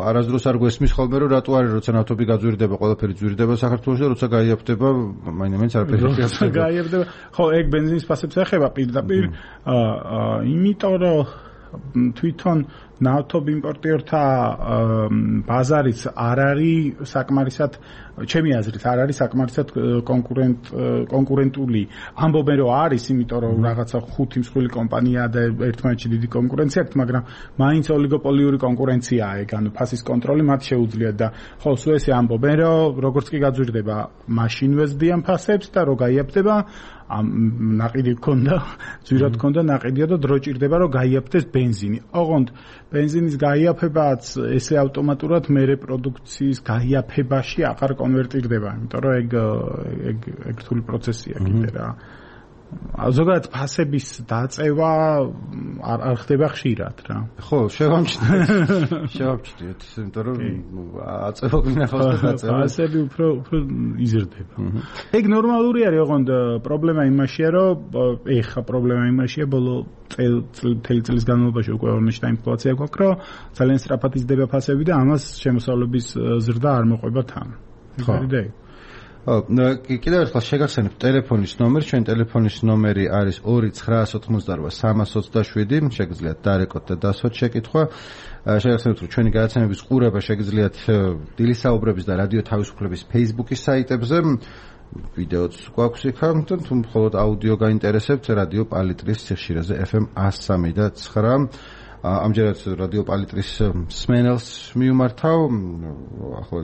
არასდროს არ გვესმის ხოლმე რომ რატო არის როცა ნავთობი გაძვირდება ყველაფერი ძვირდება საქართველოში და როცა გაიაფდება მაინც არაფერი როცა გაიაფდება ხო ეგ ბენზინის ფასებს ეხება პირდაპირ იმიტომ რომ თვითონ ნავთობ იმპორტიორთა ბაზარიც არ არის საკმარისად ჩემი აზრით არ არის საკმარისად კონკურენტული ამბობენ რომ არის იმიტომ რომ რაღაცა 5 მსხვილი კომპანიაა და ერთმანეთში დიდი კონკურენცია აქვს მაგრამ მაინც ოლიგოპოლიური კონკურენციაა ეგ ანუ ფასის კონტროლი მათ შეუძლიათ და ხო სულ ესე ამბობენ რომ როგორც კი გაძვირდება მაშინვე ზდიან ფასებს და რო გაიაფდება ნაყიდი გქონდა ძვირად გქონდა ნაყიდია და დრო ჭირდება რომ გაიაფდეს ბენზინი ოღონდ ბენზინის გაიაფებაც ესე ავტომატურად მერე პროდუქციის გაიაფებაში აღარ კონვერტირდება იმიტომ რომ ეგ რთული პროცესია კიდე რა ზოგადად ფასების დაწევა არ ხდება ხშირად რა ხო შევამჩნიეთ იმიტომ რომ აწევა გვინახავს და დაწევა ფასები უფრო იზრდება ეგ ნორმალური არის ოღონდ პრობლემა იმაშია რომ ეხა პრობლემა იმაშია ბოლო წლის განმავლობაში უკვე ორნიშნა ინფლაცია გვაქვს რომ ძალიან სწრაფად იზრდება ფასები და ამას შემოსავლების ზრდა არ მოყვება თან ხო კიდევ ერთხელ შეგახსენებთ ტელეფონის ნომერი, ჩვენ ტელეფონის ნომერი არის 2988327, შეგიძლიათ დარეკოთ და დასვათ შეკითხვა. შეგახსენებთ, რომ ჩვენი გადაცემების ყურება შეგიძლიათ დილის საუბრების და რადიო თავისუფლების Facebook-ის საიტებზე. ვიდეოც გვაქვს იქა, თუ მხოლოდ აუდიო გაინტერესებთ, რადიო პალიტრის სიხშირეზე FM 103.9. ამჯერად რადიო პალიტრის სმენელს მიუმართავ. ახლა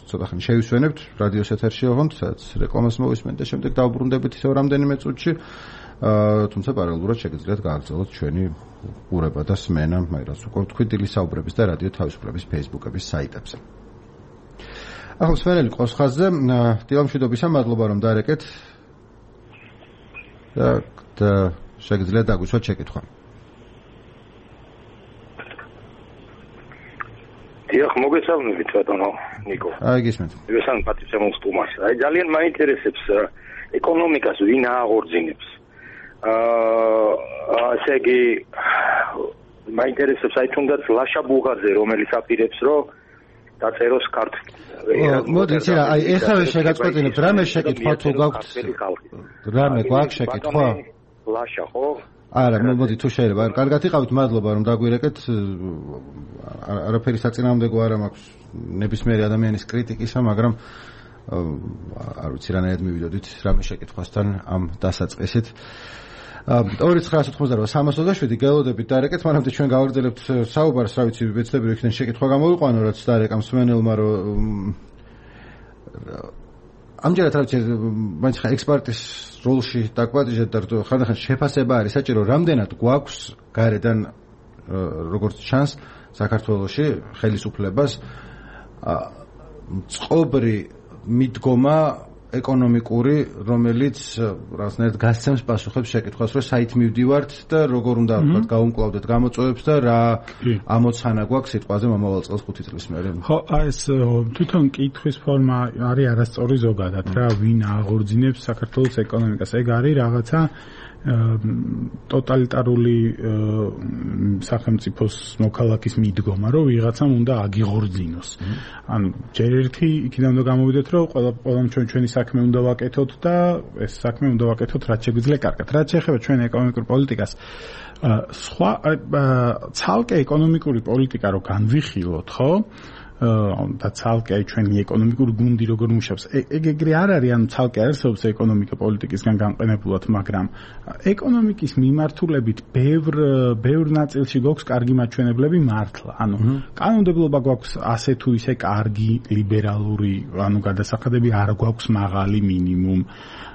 ცოტა ხანი შევისვენებთ რადიოს ეთერში ოღონდ, სადაც რეკლამას მოვისმენთ და შემდეგ დავბრუნდებით ისევ რამდენიმე წუთში. თუმცა პარალელურად შეგიძლიათ გააგრძელოთ ჩვენი ყურება და სმენა, მაინც უკვე თქვი დილის საუბრების და რადიო თავისუფლების Facebook-ების საიტებზე. ახლა სმენელი ყავს ხაზზე. დილამშვიდობისა, მადლობა რომ დარეკეთ. და შეგიძლიათ დაგვისვათ შეკითხვა. დიახ, მოგესალმებით ბატონო ნიკო. აი გისმენთ. მოგესალმებით პატრიცემოს სტუმარს. აი ძალიან მაინტერესებს ეკონომიკას ვინ აღორძინებს. ასე იგი მაინტერესებს აი თუნდაც ლაშა ბუღაძე რომელიც აპირებს რომ დაწეროს ქართლით. მოდით აი ეხლა შეგაწყვეტინებთ რამე შეკითხვა თუ გაქვთ. რამე გვაქვს შეკითხვა? ლაშა ხო? არა, მოდი თუ შეიძლება. კარგად იყავით, მადლობა რომ დაგვირეკეთ. არაფერი საწინააღმდეგო არ მაქვს ნებისმიერი ადამიანის კრიტიკისა, მაგრამ არ ვიცი რანაირად მივიდოდით რამე შეკითხვასთან ამ დასაწყისით. 2988327 გელოდებით დარეკეთ, მანამდე ჩვენ გავაგრძელებთ საუბარს, რა ვიცი, ვეცდები იქიდან შეკითხვა გამოვიყვანო, რაც დარეკამ სმენელმა, რომ ამჯერად რა ვიცი, მაინც ხა ექსპერტის როლში დაგვატიჟეთ და ხანდახან შეფასება არის საჭირო, რამდენად გვაქვს გარედან როგორც ჩანს საქართველოში ხელისუფლებას წყობრი მიდგომა ეკონომიკური, რომელიც რაღაცნაირად გასცემს პასუხებს შეკითხვას, რომ საით მივდივართ და როგორ უნდა ვთქვათ, გავუმკლავდეთ გამოწვევებს და რა ამოცანა გვაქვს სიტყვაზე მომავალ წელს 5 წლის მერე. ხო, ეს თვითონ კითხვის ფორმა არის არასწორი ზოგადად რა, ვინ აღორძინებს საქართველოს ეკონომიკას. ეგ არის რაღაცა ტოტალიტარული სახელმწიფოს მოქალაქის მიდგომა, რომ ვიღაცამ უნდა აგიღორძინოს. ანუ ჯერ ერთი იქიდან უნდა გამოვიდეთ, რომ ყველამ ჩვენი საქმე უნდა ვაკეთოთ და ეს საქმე უნდა ვაკეთოთ რაც შეგვიძლია კარგად. რაც შეეხება ჩვენ ეკონომიკურ პოლიტიკას, სხვა ცალკე ეკონომიკური პოლიტიკა რო განვიხილოთ, ხო? და ცალკე ჩვენი ეკონომიკური გუნდი როგორ მუშაობს. ეგ ეგრე არ არის, ანუ ცალკე არსებობს ეკონომიკა პოლიტიკისგან განყენებულად, მაგრამ ეკონომიკის მიმართულებით ბევრ ნაწილში გვაქვს კარგი მაჩვენებლები მართლა. ანუ კანონმდებლობა გვაქვს ასე თუ ისე კარგი, ლიბერალური, ანუ გადასახადები არ გვაქვს მაღალი მინიმუმ.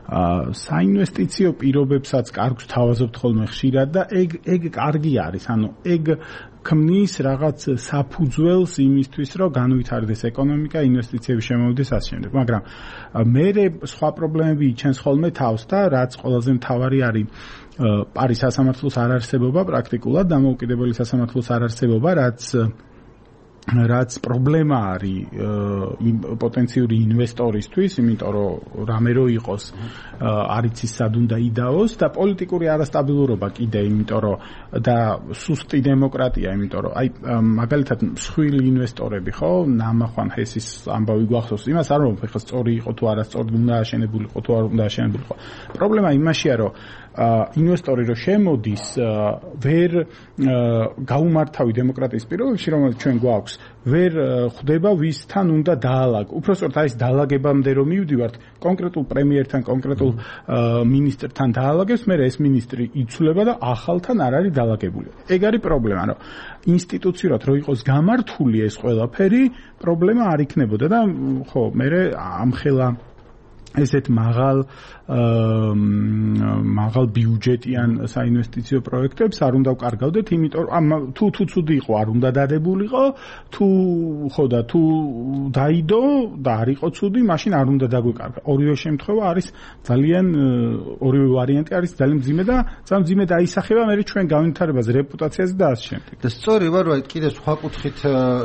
საინვესტიციო პირობებსაც კარგს თავაზობთ ხოლმე ხშირად და ეგ კარგი არის. ანუ ეგ ქმნის რაღაც საფუძველს იმისთვის, რომ განვითარდეს ეკონომიკა, ინვესტიციები შემოვიდეს ასე შემდეგ. მაგრამ მე სხვა პრობლემები იჩენს ხოლმე თავს და რაც ყველაზე მთავარი არის პარის სასამართლოს არ არსებობა პრაქტიკულად, დამოუკიდებელი სასამართლოს არ არსებობა, რაც პრობლემა არის პოტენციური ინვესტორისთვის, იმიტომ რომ რამე რო იყოს არ იცის სად უნდა იდაოს და პოლიტიკური არასტაბილურობა კიდე, იმიტომ რომ და სუსტი დემოკრატია, იმიტომ რომ აი მაგალითად მსხვილი ინვესტორები ხო, ნამახვან ჰესის ამბავი გვახსოვს, იმას არ რომ ხა სწორი იყო თუ არასწორი უნდა აშენებული იყო თუ არ უნდა აშენებული იყო. პრობლემა იმაშია, რომ ინვესტორი რო შემოდის ვერ გაუმართავი დემოკრატიის პირობებში, რომელიც ჩვენ გვაქვს, ვერ ხვდება ვისთან უნდა დაალაგო. უпростоრთ არის დაალაგებამდე რომ მივდივართ, კონკრეტულ პრემიერთან, კონკრეტულ მინისტრთან დაალაგებს, მე ეს მინისტრი იცვლება და ახალთან არ არის დაალაგებული. ეგ არის პრობლემა, რომ ინსტიტუციურად რო იყოს გამართული ეს ყველაფერი, პრობლემა არ იქნებოდა და ხო, მე ამხელა ესეთ მაღალ ბიუჯეტიან საინვესტიციო პროექტებს არ უნდა ვკარგავდეთ, იმიტომ თუ ცუდი იყო არ უნდა დადებულიყო, თუ დაიდო და არ იყო ცუდი, მაშინ არ უნდა დაგვეკარგა. ორივე შემთხვევა არის ორივე ვარიანტი არის ძალიან მძიმე და ძალიან მძიმე დაისახება მე ჩვენ განვითარებაზე, რეპუტაციაზე და ასე შემდეგ. და სწორი ვარ, რომ კიდე სხვა კუთხით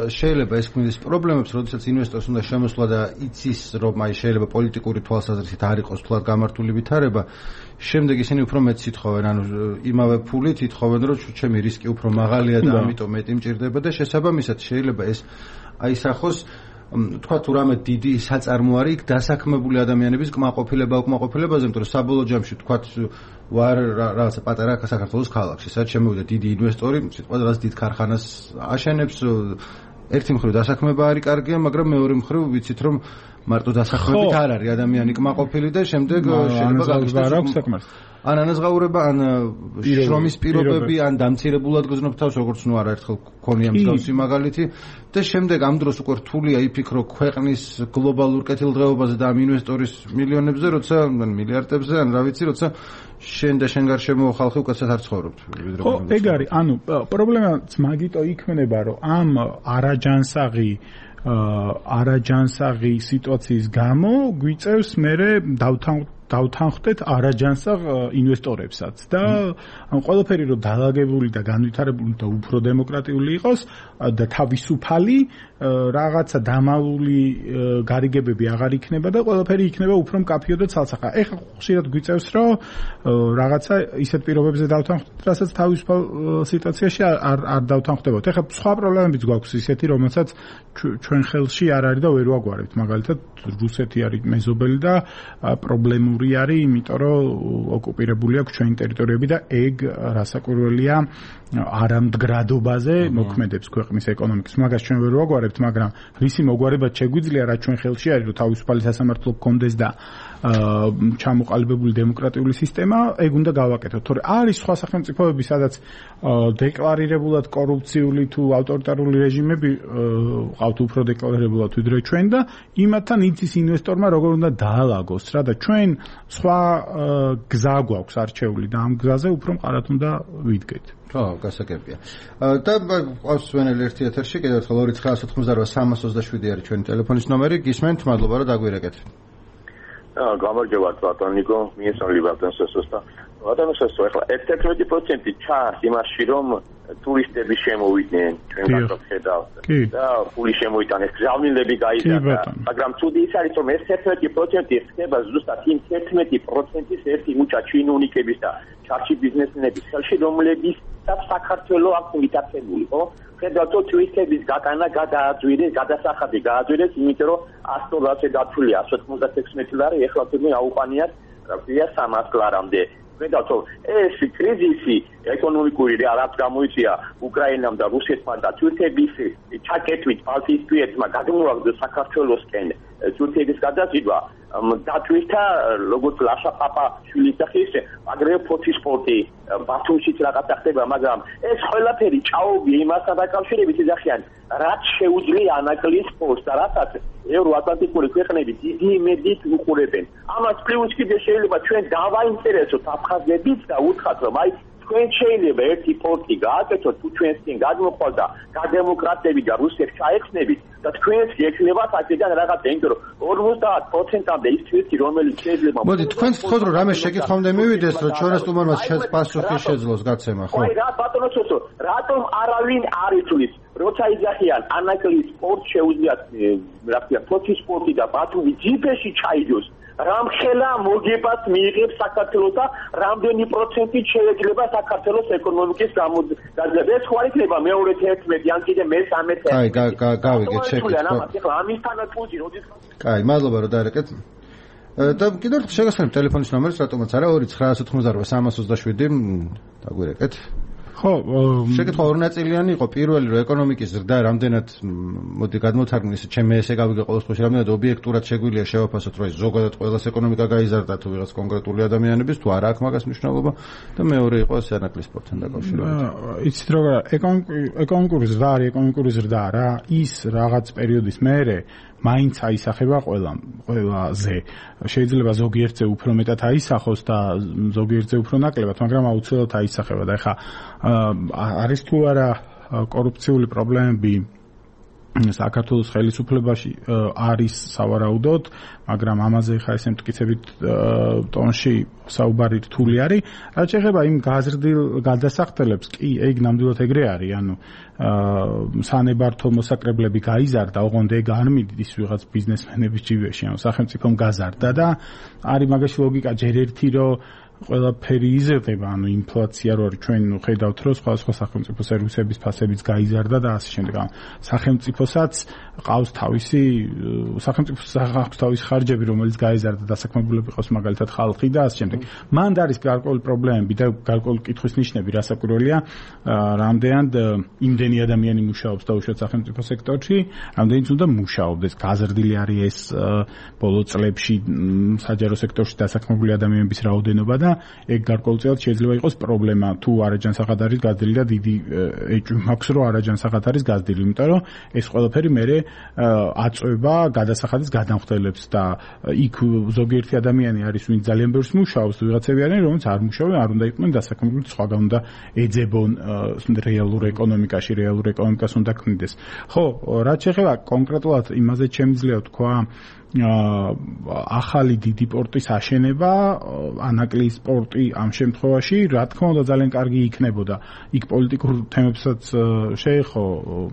შეიძლება ეს ქმნის პრობლემებს, როდესაც ინვესტორს უნდა შემოსვლა და იცის, რომ აი შეიძლება პოლიტიკური თვალსაზრისით არ იყოს თულად გამართული ვითარება, შემდეგ ისინი უფრო მეტ ითხოვენ, ანუ იმავე ფულით ითხოვენ, რომ ჩემი რისკი უფრო მაღალია და ამიტომ მეტი მჭირდება და შესაბამისად შეიძლება ეს აისახოს თქვა თუ რამე დიდი საწარმო არის იქ დასაქმებული ადამიანების უკმაყოფილებაზე, იმიტომ რომ საბოლოო ჯამში თქვა ვარ რაღაცა პატარა საქართველოს ქალაქში, სადაც შემოვიდა დიდი ინვესტორი, სიტყვაზე რაღაც დიდ ქარხანას აშენებს, ერთი მხრივ დასაქმება არის კარგია, მაგრამ მეორე მხრივ ვიცით რომ მარტო დასაქმებით არ არის ადამიანი კმაყოფილი და შემდეგ შეიძლება გაგიჟდეს ან ანაზღაურება, ან შრომის პირობები, ან დამცირებულად გზნობ თავს, როგორც ნუ არაერთხელ გქონია მსგავსი მაგალითი და შემდეგ ამ დროს უკვე რთულია იფიქრო ქვეყნის გლობალურ კეთილდღეობაზე და ამ ინვესტორის მილიონებზე, როცა მილიარდებზე, ან რა ვიცი, როცა შენ და შენ გარშემო ხალხი უკაცრავად არ ცხოვრობთ. ხო, ეგ არის, ანუ პრობლემაც მაგიტო იქნება, რომ ამ არაჯანსაღი სიტუაციის გამო გვიწევს მერე დავთანხმდეთ არაჯანსაღ ინვესტორებსაც და ამ ყველაფერი რომ დაალაგებული და განვითარებული და უფრო დემოკრატიული იყოს და თავისუფალი რაღაცა დამალული გარიგებები აღარ იქნება და ყველაფერი იქნება უფრო მკაფიო და ცალსახა. ეხლა ხშირად გვიწევს რომ რაღაცა ისეთ პირობებზე დავთანხმდეთ, რასაც თავისუფალ სიტუაციაში არ დავთანხმდებოდ. ეხლა სხვა პრობლემებიც გვაქვს ისეთი, რომელსაც ჩვენ ხელში არ არის და ვერ ვაგვარებთ. მაგალითად რუსეთი არის მეზობელი და პრობლემური არის, იმიტომ რომ ოკუპირებული აქვს ჩვენი ტერიტორიები და ეგ რასაკვირველია არამდგრადობაზე მოქმედებს ქვეყნის ეკონომიკის. მაგას ჩვენ ვერ ვაგვარებთ, მაგრამ რისი მოგვარებაც შეგვიძლია, რაც ჩვენ ხელში არის, რომ თავისუფალი სასამართლო გქონდეს და ჩამოყალიბებული დემოკრატიული სისტემა, ეგ უნდა გავაკეთოთ. თორე არის სხვა სახელმწიფოები, სადაც დეკლარირებულად კორუფციული თუ ავტორიტარული რეჟიმები ყავთ უფრო დეკლარირებულად ვიდრე ჩვენ და იმათთან იცის ინვესტორმა როგორ უნდა დაალაგოს რა და ჩვენ სხვა გზა გვაქვს არჩეული და ამ გზაზე უფრო მყარად უნდა ვიდგეთ. ხო, გასაგებია. და ყავს ვენელი ერთი ეთერში, კიდევ ერთხელ 2988 არის ჩვენი ტელეფონის ნომერი. გისმენთ, მადლობა რომ დაგვირეკეთ. გამარჯობა ბატონ ნიკო, მიესალმები ბატონ სესოს და ბატონ სესო, ეხლა 11% ჩანს იმაში, რომ ტურისტები შემოვიდნენ ჩვენ გასახედავთ და ფული შემოიტანეს, გზავნილები გაიზარდა, მაგრამ ცუდი ის არის, რომ ეს 11% ხდება ზუსტად იმ 11%-ის ერთი მუჭა ჩინოვნიკების და ჩარჩი ბიზნესმენების ხელში, რომლებიც საქართველოს აქვს მიტაცებული, ხო? ხედავთ ტურისტების გაკანა გადასახადი გააძვირეს, იმიტომ რომ 100-ზე დათვლია 196 ლარი, ეხლა თუნდაც აუყანიათ, რა ქვია 300 ლარამდე. ხედავთ ეს კრიზისი ეკონომიკური რაც გამოიწვია უკრაინამ და რუსეთმა და თურქეთის ჩაკეტვით ბალტიისპირეთმა გადმოაგდო საქართველოსკენ თურქეთის გადაზიდვა დათვირთა როგორც ლაშა-პაპა შვილისახის აგრეთვე ფოთის სპორტი ბათუმშიც რაღაცა ხდება, მაგრამ ეს ყველაფერი ჭაობია იმასთან დაკავშირებით ეძახიან, რაც შეუძლია ანაკლის სპორტს და რასაც ევროატლანტიკური ქვეყნები დიდი იმედით უყურებენ. ამას პლუს კიდე შეიძლება ჩვენ დავაინტერესოთ აფხაზებიც და უთხრათ, რომ აი თქვენ შეიძლება ერთი პორტი გააკეთოთ, თუ ჩვენს წინ გადმოყვა გადემოკრატები და რუსებს ჩაექნებით და თქვენს გექნებათ აქედან რაღაცა, იმიტომ რომ 50%-ამდე ის თვისი, რომელიც შეიძლება. მოდი, თქვენ თქოთ რომ რამე შეკითხვამდე მივიდეს, რომ ჩვენს სტუმარმა პასუხი შეძლოს გაცემა, ხო? აი რა ბატონო ცოტო, რატომ არავინ არ იცვლის, როცა იძახიან ანაკლის სპორტ შეუძლიათ, რა ქვია, ფოთის სპორტი და ბათუმი ჯიპეში ჩაიდოს. რამხელა მოგებას მიიღებს საქართველოს და რამდენი პროცენტით შეიძლება საქართველოს ეკონომიკის გაძლება. ეს ხარ იქნება მეორე 11 ან კიდე მე-13. აი, გავიგეთ შეკითხვა. ახლა ამისთანაც ფუძი როდის. კაი, მადლობა რომ დაერეკეთ. და კიდევ ერთხელ შეგახსენებთ ტელეფონის ნომერს, რატომაც არა 2988327 დაგვირეკეთ. ხო, შეკითხვა ორნაწილიანი იყო. პირველი რომ ეკონომიკის ზრდა რამდენად მოდი გადმოთარგმნეს, ჩემი ესე გავიგე ყოველ შემთხვევაში რამდენად ობიექტურად შეგვიძლია შევაფასოთ, რომ ზოგადად ყველას ეკონომიკა გაიზარდა თუ ვიღაც კონკრეტული ადამიანების, თუ არა აქვს მაგას მნიშვნელობა და მეორე იყო ეს ანაკლის სპორტთან დაკავშირებით. იცით რა, ეკონომიკური ზრდა არის, ეკონომიკური ზრდა რა, ის რაღაც პერიოდის მერე მაინც აისახება ყველაზე. შეიძლება ზოგიერთზე უფრო მეტად აისახოს და ზოგიერთზე უფრო ნაკლებად, მაგრამ აუცილებლად აისახება და ეხა არის თუ არა კორუფციული პრობლემები საქართველოს ხელისუფლებაში არის სავარაუდოდ, მაგრამ ამაზე ხა ესე მტკიცებით ტონში საუბარი რთული არის. რაც შეეხება იმ გაზრდილ გადასახდელებს, კი, ეგ ნამდვილად ეგრე არის, ანუ სანებართო მოსაკრებლები გაიზარდა, ოღონდ ეგ არ მიდის ვიღაც ბიზნესმენების ჯიბეში, ანუ სახელმწიფომ გაზარდა და არის მაგაში ლოგიკა ჯერ ერთი რომ ყველაფერი იზრდება, ანუ ინფლაცია რო არის, ჩვენ ხედავთ რომ სხვა სახელმწიფო სერვისების ფასებიც გაიზარდა და ასე შემდეგ. სახელმწიფოსაც ყავს თავისი ხარჯები, რომელიც გაიზარდა დასაქმებულები ყავს მაგალითად ხალხი და ასე შემდეგ. მანდ არის გარკვეული პრობლემები და გარკვეული კითხვის ნიშნები, რასაკვირველია, რამდენად იმდენი ადამიანი მუშაობს დაუშვათ სახელმწიფო სექტორში, რამდენიც უნდა მუშაობდეს. გაზრდილი არის ეს ბოლო წლებში საჯარო სექტორში დასაქმებული ადამიანების რაოდენობა და ეგ გარკვეულწილად შეიძლება იყოს პრობლემა, თუ არაჯანსაღად არის გაზრდილი და დიდი ეჭვი მაქვს, რომ არაჯანსაღად არის გაზრდილი, იმიტომ რომ ეს ყველაფერი მერე აწვება გადასახადის გადამხდელებს და იქ ზოგიერთი ადამიანი არის, ვინც ძალიან ბევრს მუშაობს, ვიღაცები არიან, რომელიც არ მუშაობენ, არ უნდა იყვნენ დასაქმებული, სხვაგან უნდა ეძებონ რეალურ ეკონომიკაში, რეალურ ეკონომიკას უნდა ქმნიდეს. ხო, რაც შეეხება კონკრეტულად იმაზე შემიძლია თქვა ახალი დიდი პორტის აშენება, ანაკლის პორტი ამ შემთხვევაში, რა თქმა უნდა ძალიან კარგი იქნებოდა. იქ პოლიტიკურ თემებსაც შეეხო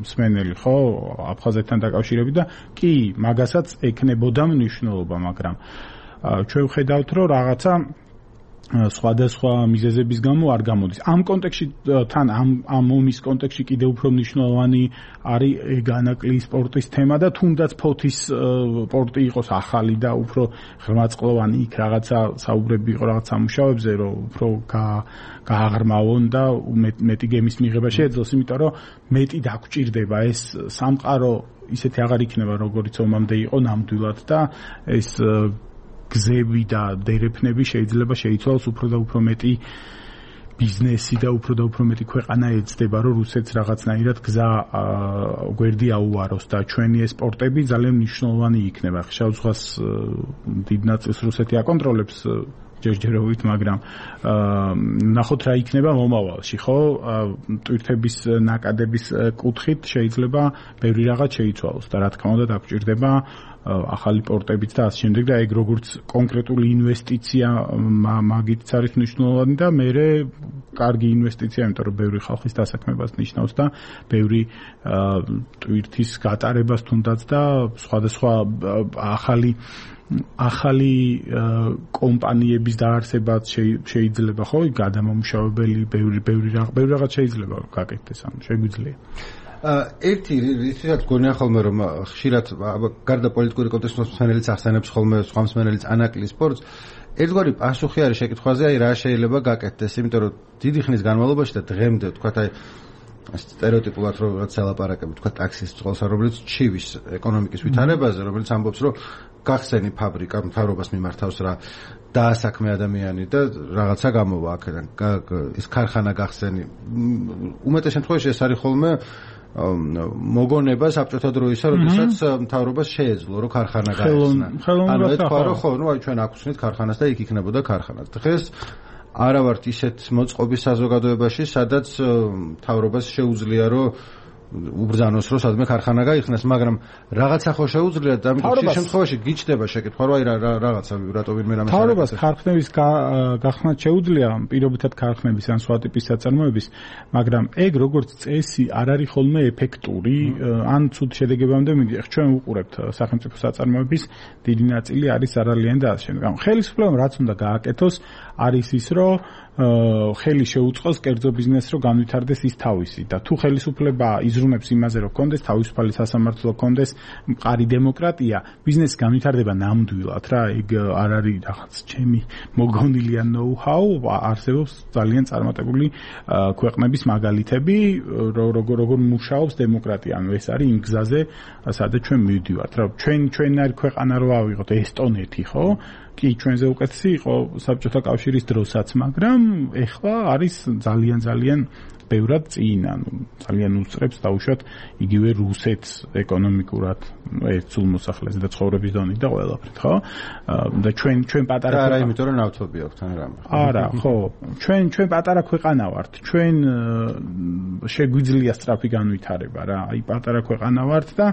მსმენელი, ხო, აფხაზეთთან დაკავშირებით და კი, მაგასაც ექნებოდა მნიშვნელობა, მაგრამ ჩვენ ვხედავთ, რომ რაღაცა სხვადასხვა მიზეზების გამო არ გამოდის. ამ კონტექსტში თან ამ ომის კონტექსტში კიდევ უფრო მნიშვნელოვანი არის ანაკლის სპორტის თემა და თუნდაც ფოთის სპორტი იყოს ახალი და უფრო ღრმაწყლოვანი, იქ რაღაცა საუბრები იყო რაღაც სამუშაოებზე, რომ უფრო გააღრმავონ და მეტი გემის მიღება შეეძლოს, იმიტომ რომ მეტი დაგჭირდება ეს სამყარო ისეთი აღარ იქნება, როგორც ომამდე იყო ნამდვილად და ეს გზები და დერეფნები შეიძლება შეიცვალოს უფრო და უფრო მეტი ბიზნესი და უფრო მეტი ქვეყანა ეცდება, რომ რუსეთს რაღაცნაირად გზა გვერდი აუაროს და ჩვენი ეს სპორტები ძალიან მნიშვნელოვანი იქნება. ხშირად ზღვას დიდ ნაწილს რუსეთი აკონტროლებს ჯერჯერობით, მაგრამ ნახოთ რა იქნება მომავალში, ხო? ტვირთების ნაკადების კუთხით შეიძლება ბევრი რაღაც შეიცვალოს და რა თქმა უნდა დაგჭირდება ახალი პორტებიც და ასე შემდეგ და ეგ როგორც კონკრეტული ინვესტიცია მაგით არის მნიშვნელოვანი და მერე კარგი ინვესტიცია, იმიტომ რომ ბევრი ხალხის დასაქმებას ნიშნავს და ბევრი ტვირთის გატარებას თუნდაც და სხვადასხვა ახალი კომპანიების დაარსებაც შეიძლება, ხო, გადამამუშავებელი ბევრი რაღაც შეიძლება გაკეთდეს, ანუ შეგვიძლია. ერთი რითაც გონია ხოლმე რომ ხშირად გარდა პოლიტიკური კონტექსტის მსმენელიც ახსენებს ხოლმე სხვა მსმენელიც ანაკლის სპორტს, ერთგვარი პასუხი არის შეკითხვაზე, აი რა შეიძლება გაკეთდეს, იმიტომ რომ დიდი ხნის განმავლობაში და დღემდე თქვათ აი სტერეოტიპულად რომ რაც ელაპარაკები თქვათ ტაქსის წყალს, რომელიც ჩივის ეკონომიკის ვითარებაზე, რომელიც ამბობს რომ გახსენი ფაბრიკა მთავრობას მიმართავს რა დაასაქმე ადამიანი და რაღაცა გამოვა აქედან ის ქარხანა გახსენი. უმეტეს შემთხვევაში ეს არის ხოლმე მოგონება საბჭოთა დროისა, როდესაც მთავრობას შეეძლო რომ ქარხანა გაეხსნა. ანუ ეთქვა რომ ხო, ნუ აი ჩვენ აქ ვსვით ქარხანას და იქ იქნებოდა ქარხანაც. დღეს არა ვართ ისეთ მოწყობის საზოგადოებაში, სადაც მთავრობას შეუძლია რომ უბრძანოს რომ სადმე ქარხანა გაიხსნას, მაგრამ რაღაცა ხო შეუძლია და ამიტომ შემთხვევაში გიჩნდება შეკითხვა რომ აი რაღაცა რატო ვინმე რამე მთავრობას ქარხნების გახსნა შეუძლია პირობითად ქარხნების ან სხვა ტიპის საწარმოების, მაგრამ ეგ როგორც წესი არ არის ხოლმე ეფექტური, ან ცუდ შედეგებამდე მიდის. ჩვენ ვუყურებთ სახელმწიფო საწარმოების დიდი ნაწილი არის არალიანი და ასე შემდეგ. ხელისუფლებამ რაც უნდა გააკეთოს არის ის რომ ხელი შეუწყოს კერძო ბიზნესს რომ განვითარდეს ის თავისი და თუ ხელისუფლება იზრუნებს იმაზე რომ კონდეს თავისუფალი სასამართლო კონდეს მყარი დემოკრატია ბიზნესი განვითარდება ნამდვილად რა ეგ არ არის რაღაც ჩემი მოგონილი ან ნოუ-ჰაუ არსებობს ძალიან წარმატებული ქვეყნების მაგალითები როგორ მუშაობს დემოკრატია ანუ ეს არის იმ გზაზე სადაც ჩვენ მივდივართ რა ჩვენი ქვეყანა რო ავიღოთ ესტონეთი ხო კი ჩვენზე უკეთესი იყო საბჭოთა კავშირის დროსაც, მაგრამ ეხლა არის ძალიან ბევრად წინ, ანუ ძალიან უსწრებს დაუშვათ იგივე რუსეთს ეკონომიკურად ერთ სულ მოსახლეზე და ცხოვრების დონით და ყველაფრით, ხო? და ჩვენ პატარა არა, იმიტომ რომ ნავთობი აქვს თან რამე. არა, ხო. ჩვენ პატარა ქვეყანა ვართ. ჩვენ შეგვიძლია სწრაფი განვითარება რა. აი პატარა ქვეყანა ვართ და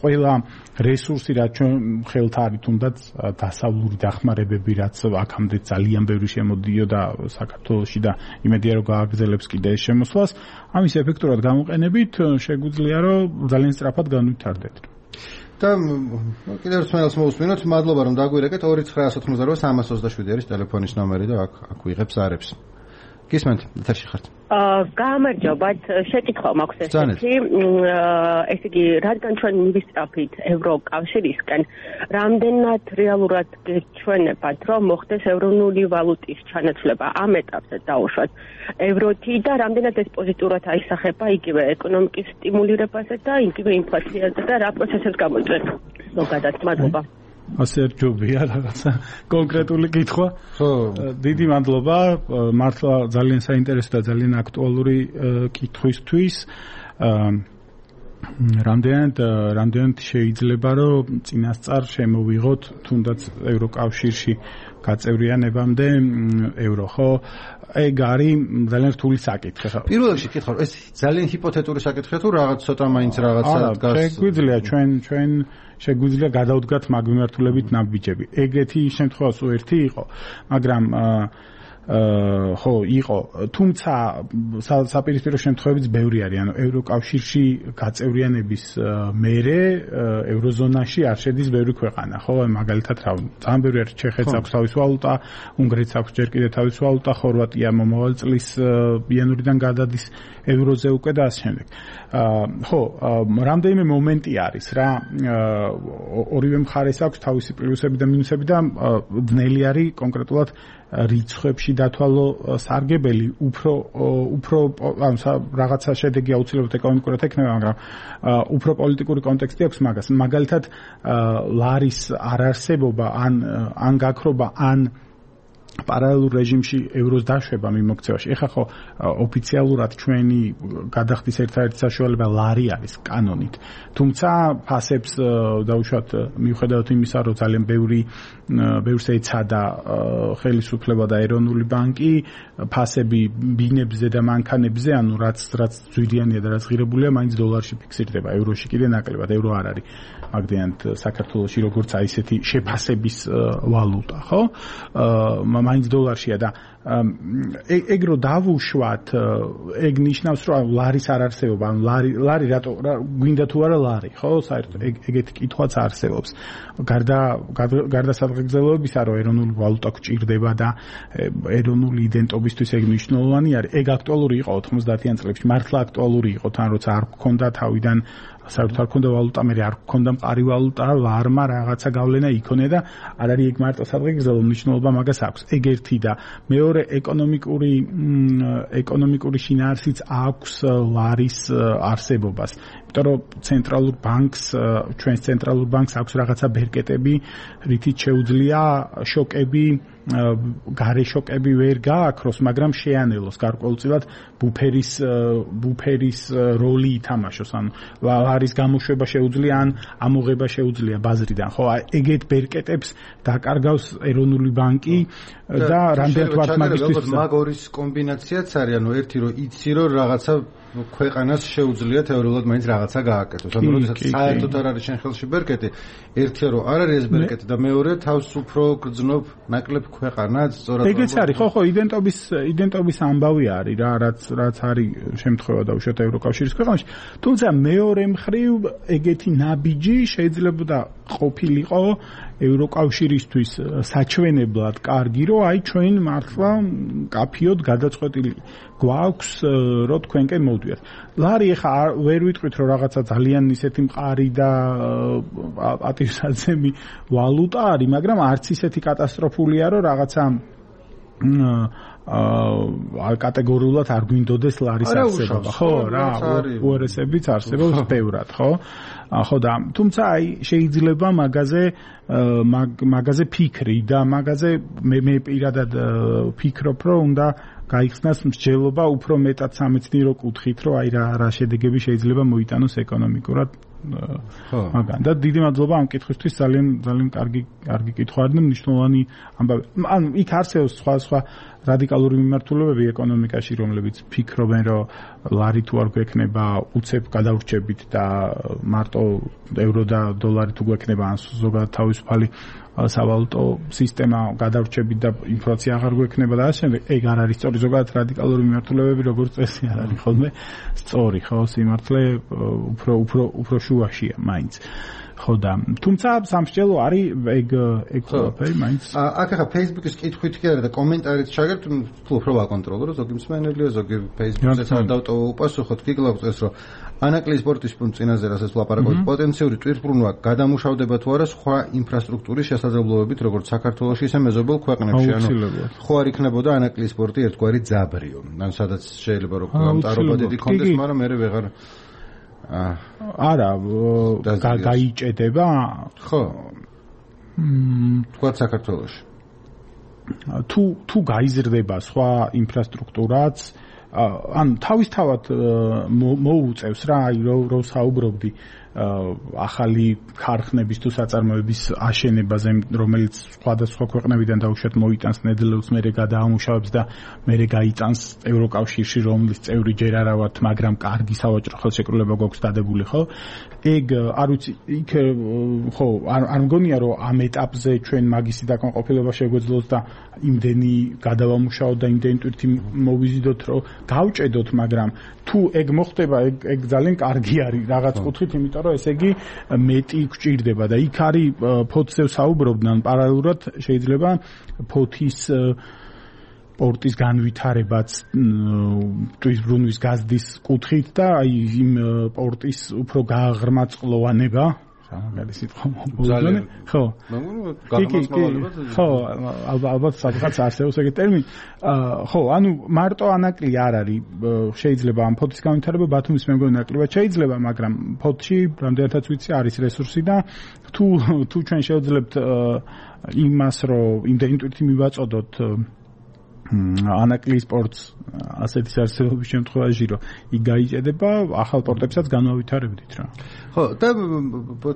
ყველა რესურსი რაც ჩვენ ხელთ არის თუნდაც დასავლური დახმარებები რაც აქამდე ძალიან ბევრი შემოდიოდა საქართველოში და იმედია რომ გააგრძელებს კიდე ეს შემოსვლას ამის ეფექტურად გამოყენებით შეგვიძლია რომ ძალიან სწრაფად განვითარდეთ და კიდევ ერთ მეილს მოვუსმინოთ მადლობა რომ დაგვირეკეთ 2988 არის ტელეფონის ნომერი და აქ ვიღებს არებს გისმენთ ეთერში ხართ გამარჯობათ შეკითხვა მაქვს ესეთი ესე იგი რადგან ჩვენ მივისწრაფით ევროკავშირისკენ რამდენად რეალურად გეჩვენებათ რომ მოხდეს ევრონული ვალუტის ჩანაცვლება ამ ეტაპზე დაუშვათ ევროთი და რამდენად ეს პოზიტიურად აისახება იგივე ეკონომიკის სტიმულირებაზე და იგივე ინფლაციაზე და რა პროცესებს გამოიწვევს ზოგადად მადლობა ასე რჯობია რაღაცა კონკრეტული კითხვა. ხო, დიდი მადლობა. მართლა ძალიან საინტერესო და ძალიან აქტუალური კითხვისთვის. რამდენად შეიძლება რომ წინასწარ შემოვიღოთ თუნდაც ევროკავშირში გაწევრიანებამდე евро, ხო? ეგ არის ძალიან რთული საკითხი ხო? პირველ რიგში კითხავ, ეს ძალიან ჰიპოთეტური საკითხია თუ რაღაც ცოტა მაინც რაღაცა დგას? შეგვიძლია ჩვენ შეგვიძლია გადავდგათ მაგმიმართულებით ნაბიჯები. ეგეთი შემთხვევა სულ ერთი იყო, მაგრამ ხო იყო, თუმცა საპირისპირო შემთხვევებიც ბევრი არის, ანუ ევროკავშირში გაწევრიანების მერე ევროზონაში არ შედის ბევრი ქვეყანა, ხო? მაგალითად, რა, ძალიან ბევრი არის ჩეხეთს აქვს თავისი ვალუტა, უნგრეთს აქვს ჯერ კიდევ თავისი ვალუტა, ხორვატია მომავალ წლის იანვრიდან გადადის ევროზე უკვე და ასე შემდეგ. ხო, რამდენიმე მომენტი არის რა, ორივე მხარეს აქვს თავისი პლუსები და მინუსები და ძნელი არის კონკრეტულად რიცხვებში დათვალო სარგებელი უფრო რაღაცა შედეგი აუცილებლად ეკონომიკურად ექნება, მაგრამ უფრო პოლიტიკური კონტექსტი აქვს მაგას. მაგალითად, ლარის არარსებობა ან გაქრობა ან პარალელურ რეჟიმში ევროს დაშვება მიმოქცევაში. ეხლა ხო ოფიციალურად ჩვენი გადახდის ერთადერთი საშუალება ლარი არის კანონით. თუმცა ფასებს დაუშვათ მიუხედავად იმისა, რომ ძალიან ბევრს ეცადა ხელისუფლება და ეროვნული ბანკი, ფასები ბინებზე და მანქანებზე, ანუ რაც ძვირიანია და რაც ღირებულია, მაინც დოლარში ფიქსირდება, ევროში კიდე ნაკლებად, евро არ არის. მაგდენად საქართველოში როგორც აი ესეთი შეფასების ვალუტა, ხო? მაინც დოლარშია და ეგ რო დავუშვათ, ეგ ნიშნავს, რომ ლარის არ არსებობა, ანუ ლარი რატო გვინდა თუ არა ლარი, ხო? საერთოდ ეგეთი კითხვაც არსებობს. გარდა სადღეგრძელოებისა, რომ ეროვნული ვალუტა გვჭირდება და ეროვნული იდენტობისთვის ეგ მნიშვნელოვანი არის, ეგ აქტუალური იყო 90-იან წლებში, მართლა აქტუალური იყო, თან როცა არ გქონდა თავიდან საერთოდ არ გქონდა ვალუტა, მე არ გქონდა მყარი ვალუტა, ლარმა რაღაცა გავლენა იქონია და არ არის ეგ მარტო სადღეგრძელო მნიშვნელობა მაგას აქვს. ეგ ერთი და მეორე ეკონომიკური შინაარსიც აქვს ლარის არსებობას. იმიტომ რომ ცენტრალურ ბანკს, ჩვენს ცენტრალურ ბანკს აქვს რაღაცა ბერკეტები, რითიც შეუძლია შოკები გარეშოკები ვერ გააქროს, მაგრამ შეანელოს გარკვეულწილად ბუფერის როლი ითამაშოს, ანუ ლარის გამოშვება შეუძლია ან ამოღება შეუძლია ბაზრიდან. ხო, ეგეთ ბერკეტებს დაკარგავს ეროვნული ბანკი და რამდენად ვართ მაგისთვის მაგ ორის კომბინაციაც არის, ანუ ერთი რომ იცი რომ რაღაცა ქვეყანას შეუძლია თეორიულად მაინც რაღაცა გააკეთოს. ანუ როდესაც საერთოდ არ არის შენ ხელში ბერკეტი, ერთია რომ არ არის ეს ბერკეტი და მეორე თავს უფრო გრძნობ ნაკლებ ქვეყანას, სწორად. ეგეც არის, ხო, იდენტობის ამბავი არის რა, რაც არის შემთხვევა დაუშვათ ევროკავშირის ქვეყანაში. თუმცა მეორე მხრივ ეგეთი ნაბიჯი შეიძლება ყოფილიყო ევროკავშირისთვის საჩვენებლად კარგი, რომ აი ჩვენ მართლა კაფიოდ გადაწყვეტილი გვაქვს, რომ თქვენკენ მოვდიოთ. ლარი ეხა ვერ ვიტყვით, რომ რაღაცა ძალიან ისეთი მყარი და პატივსაცემი ვალუტა არის, მაგრამ არც ისეთი კატასტროფულია, რომ რაღაცა კატეგორიულად არ გვინდოდეს ლარის არსებობა. ხო, რა, უარესებიც არსებობს ბევრად, ხო? ხო და თუმცა აი შეიძლება მაგაზე ფიქრი და მაგაზე მე პირადად ფიქრობ, რომ უნდა გაიხსნას მსჯელობა უფრო მეტად სამეცნიერო კუთხით, რომ აი რა შედეგები შეიძლება მოიტანოს ეკონომიკურად. მაგან და დიდი მადლობა ამ კითხვისთვის, ძალიან კარგი კითხვა არის და მნიშვნელოვანი ამბავი. ანუ იქ არსებობს სხვა რადიკალური მიმართულებები ეკონომიკაში, რომლებიც ფიქრობენ, რომ ლარი თუ არ გვექნება უცებ გადავრჩებით და მარტო ევრო და დოლარი თუ გვექნება, ან ზოგადად თავისუფალი სავალუტო სისტემა გადავრჩებით და ინფლაცია აღარ გვექნება და ასე შემდეგ. ეგ არ არის სწორი. ზოგადად რადიკალური მიმართულებები როგორც წესი არ არის ხოლმე სწორი, ხო, სიმართლე უფრო შუაშია მაინც. ხო და თუმცა სამსჯელო არის ეგ ყველაფერი მაინც. აქ ახლა Facebook-ის კითხვით კი არა და კომენტარით შეგერთ, უფრო ვაკონტროლო, ზოგი მსმენელია, ზოგი Facebook-ზე არ დავტოვო უპასუხოთ, გიგლავწეს, რომ ანაკლიის სპორტის პუნქტ წინაზე რასაც ვლაპარაკობთ, პოტენციური ტვირთბრუნვა გადამუშავდება თუ არა სხვა ინფრასტრუქტურის შესაძლებლობებით, როგორც საქართველოში, ისე მეზობელ ქვეყნებში, ანუ ხო არ იქნებოდა ანაკლიის სპორტი ერთგვარი ძაბრიო, ანუ სადაც შეიძლება რომ გამტარობა დიდი კონდეს, მაგრამ მე ვეღარ არა გაიჭედება? ხო. თქვა საქართველოში. თუ გაიზრდება სხვა ინფრასტრუქტურაც, ან თავისთავად მოუწევს რა, აი რომ საუბრობდი ახალი ქარხნების თუ საწარმოების აშენებაზე, რომელიც სხვადასხვა ქვეყნებიდან დაუშვათ მოიტანს ნედლეულს, მერე გადაამუშავებს და მერე გაიტანს ევროკავშირში, რომლის წევრი ჯერ არა ვართ, მაგრამ კარგი სავაჭრო ხელშეკრულება გვაქვს დადებული, ხო? ეგ არ ვიცი, იქ ხო, არ მგონია რომ ამ ეტაპზე ჩვენ მაგისი დაკმაყოფილება შეგვეძლოს და იმდენი გადავამუშავოთ და იმდენი ტვირთი მოვიზიდოთ, რომ გავჭედოთ, მაგრამ თუ ეგ მოხდება, ეგ ძალიან კარგი არის რაღაც კუთხით, იმიტომ რომ ესე იგი მეტი გვჭირდება და იქ არის ფოთზე საუბრობდნენ პარალელურად შეიძლება ფოთის პორტის განვითარებაც ტვირთბრუნვის გაზდის კუთხით და აი იმ პორტის უფრო გააღრმაწყლოვანება მაგარი სიტყვა მოგზაურე ხო ხო ალბათ სადღაც არსებობს ეგეთი ტერმინი ხო ანუ მარტო ანაკლი არ არის შეიძლება ამ ფოთის განვითარება ბათუმის მე მგონი ნაკლებად შეიძლება მაგრამ ფოთში რამდენადაც ვიცი არის რესურსი და თუ ჩვენ შევძლებთ იმას რომ იმდენი ტვირთი მივაწოდოთ ანაკლიის სპორტს ასეთის არსებობის შემთხვევაში რომ იქ გაიჭედება ახალ პორტებსაც განავითარებდით რა. ხო და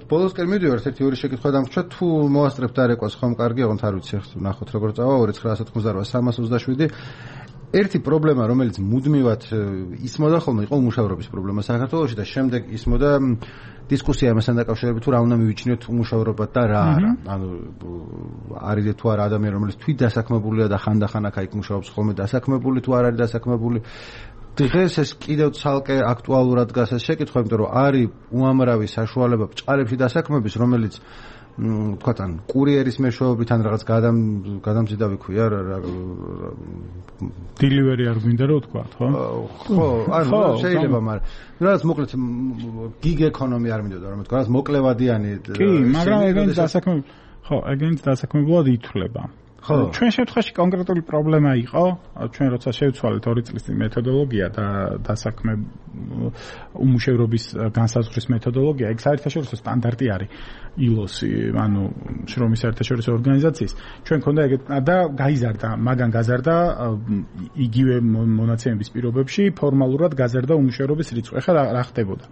ბოლოსკენ მივიდივართ ერთი ორი შეკითხვა დამრჩა თუ მოასწრებთ არეკვას ხომ კარგი აღონთ არ ვიცი ახლა ნახოთ როგორ წავა 2988 327 ერთი პრობლემა რომელიც მუდმივად ისმოდა ხოლმე იყო უმუშავრობის პრობლემა საქართველოში და შემდეგ ისმოდა დისკუსია ამასთან დაკავშირებით თუ რა უნდა მივიჩნიოთ უმუშავრობა და რა არა ანუ არის თუ არა ადამიანი რომელიც თვით დასაქმებულია და ხანდახან აქ აიქ მუშაობს ხოლმე დასაქმებული თუ არ არის დასაქმებული დღეს ეს კიდევ ცალკე აქტუალურად დგას ეს შეკითხვა იმიტომ რომ არის უამრავი საშუალება ბჭყალებში დასაქმების რომელიც თქვენ კურიერის მეშვეობით ან რაღაც გადამზიდავი ქვია დილივერი არ გვინდა რომ თქვა ხო? ხო, ანუ შეიძლება, მაგრამ რაღაც მოკლედ გიგ ეკონომი არ მინდოდა რომ თქვა, რაღაც მოკლევადიანი კი, მაგრამ ეგენიც დასაქმებული ხო, ეგენიც დასაქმებულად ითვლება. ჩვენ შემთხვევაში კონკრეტული პრობლემა იყო, ჩვენ როცა შევცვალეთ 2 წლის წინ მეთოდოლოგია და დასაქმე უმუშევრობის განსაზღვრის მეთოდოლოგია, ეგ საერთაშორისო სტანდარტი არის ILO-ი, ანუ შრომის საერთაშორისო ორგანიზაციის. ჩვენ ქონდა ეგეთ და გაიზარდა, მაგან გაზარდა იგივე მონაცემების პირობებში ფორმალურად გაზარდა უმუშევრობის რიცხვი. ახლა რა ხდებოდა?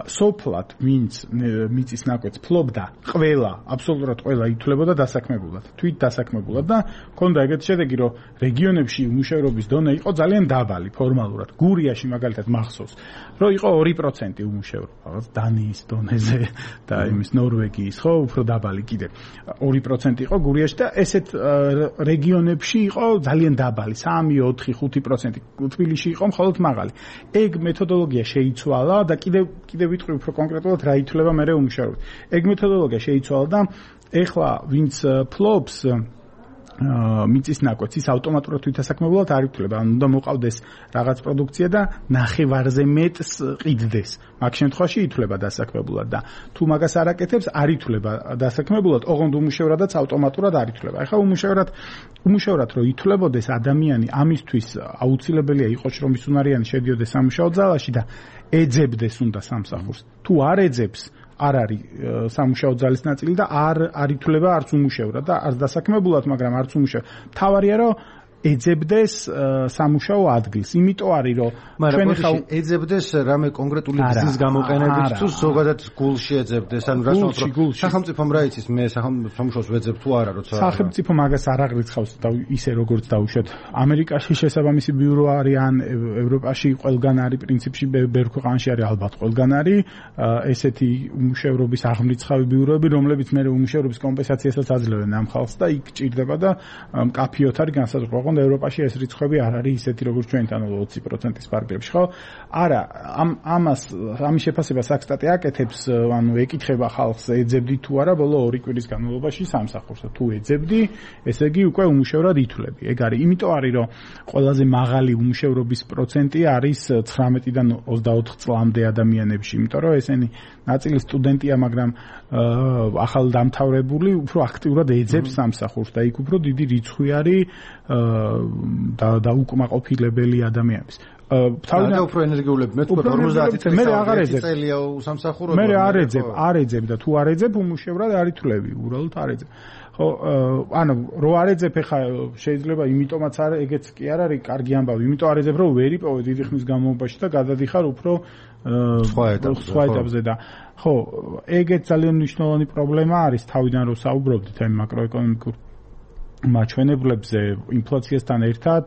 სოფლად ვინც მიწის ნაკვეთს ფლობდა, აბსოლუტურად ყველა ითვლებოდა დასაქმებულად, თვით დასაქმებულად და ქონდა ეგეთი შედეგი, რომ რეგიონებში უმუშევრობის დონე იყო ძალიან დაბალი ფორმალურად. გურიაში მაგალითად მახსოვს, რომ იყო 2% უმუშევრო, რაღაც დანიის დონეზე და იმის ნორვეგიის, ხო, უფრო დაბალი კიდე. 2% იყო გურიაში და ესეთ რეგიონებში იყო ძალიან დაბალი, 3, 4, 5%. თბილისში იყო მხოლოდ მაღალი. ეგ მეთოდოლოგია შეიცვალა და კიდე ვიტყვი უფრო კონკრეტულად რა ითვლება მერე უმუშევრობით. ეგ მეთოდოლოგია შეიცვალა და ეხლა ვინც ფლობს მიწის ნაკვეთს ის ავტომატურად თვითდასაქმებულად არ ითვლება, ანუ უნდა მოყავდეს რაღაც პროდუქცია და ნახევარზე მეტს ყიდდეს. მაგ შემთხვევაში ითვლება დასაქმებულად და თუ მაგას არ აკეთებს, არ ითვლება დასაქმებულად, ოღონდ უმუშევრადაც ავტომატურად არ ითვლება. ახლა უმუშევრად რო ითვლებოდეს ადამიანი, ამისთვის აუცილებელია იყოს რომ ის უნარიანი შედიოდეს სამუშაო ძალაში და ეძებდეს უნდა სამსახურს. თუ არ ეძებს, არ არის სამუშაო ძალის ნაწილი და არ ითვლება არც უმუშევრად და არც დასაქმებულად, მაგრამ არც უმუშევრად. თავარია რომ ეძებდეს სამუშაო ადგილს. იმიტომ არის რომ ჩვენ ხა ეძებდეს რამე კონკრეტული ბიზნეს გამოყენებით თუ ზოგადად გულში ეძებდეს, ანუ რა თქმა უნდა სახელმწიფომ რა იცის მე სამუშაოს ვეძებ თუ არა, როცა სახელმწიფო მაგას არ აღრიცხავს და ისე როგორც დაუშვათ. ამერიკაში შესაბამისი ბიურო არის, ან ევროპაში ყველგან არის, პრინციპში ბევრ ქვეყანაში არის, ალბათ ყველგან არის ესეთი უმუშევრობის აღმრიცხავი ბიუროები, რომლებიც მე უმუშევრობის კომპენსაციასაც აძლევენ ამ ხალხს და იქ ჭირდება და მკაფიოდ არის განსაზღვრება. ევროპაში ეს რიცხვები არ არის ისეთი როგორც ჩვენთან 20%-ის ფარგლებში, ხო? არა, ამის შეფასება საქსტატი აკეთებს, ანუ ეკითხება ხალხს, ეძებდი თუ არა ბოლო 2 კვირის განმავლობაში სამსახურს. თუ ეძებდი, ესე იგი უკვე უმუშევრად ითვლები. ეგ არის, იმიტომ არის, რომ ყველაზე მაღალი უმუშევრობის პროცენტი არის 19-დან 24 წლამდე ადამიანებში, იმიტომ რომ ესენი ნაწილი სტუდენტია, მაგრამ ახალ დამთავრებული უფრო აქტიურად ეძებს სამსახურს და იქ უფრო დიდი რიცხვი არის და უკმაყოფილებელი ადამიანების. თავიდან უფრო ენერგიულები მე თქვა 50 წელია უსამსახურებლად. მე არ ეძებ და თუ არ ეძებ უმუშევრად არ ითვლები, უბრალოდ არ ეძებ. ხო, ანუ რო არ ეძებ ხა შეიძლება იმიტომაც არ ეგეც კი არ არის კარგი ამბავი, იმიტომ არ ეძებ რომ ვერ იპოვე დიდი ხნის განმავლობაში და გადადიხარ უფრო სხვა ეტაპზე და ხო, ეგეც ძალიან მნიშვნელოვანი პრობლემა არის თავიდან რო საუბრობდით აი მაკროეკონომიკურ მაჩვენებლებზე ინფლაციასთან ერთად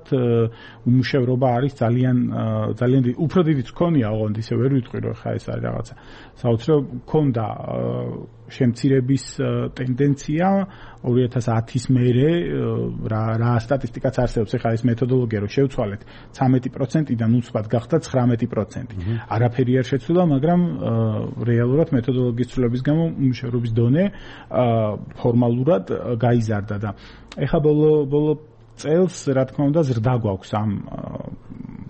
უმუშევრობა არის ძალიან უფრო დიდი მქონია, ოღონდ ისე ვერ ვიტყვი რომ ხა ეს არის რაღაცა საოცრად მქონდა შემცირების ტენდენცია 2010-ის მერე რა სტატისტიკაც არსებობს, ეხლა ეს მეთოდოლოგია რომ შევცვალეთ 13%-დან უცბად გახდა 19%. არაფერი არ შეცვლა, მაგრამ რეალურად მეთოდოლოგიის ცვლილების გამო უმუშევრობის დონე ფორმალურად გაიზარდა და ეხლა ბოლო წელს რა თქმა უნდა ზრდა გვაქვს ამ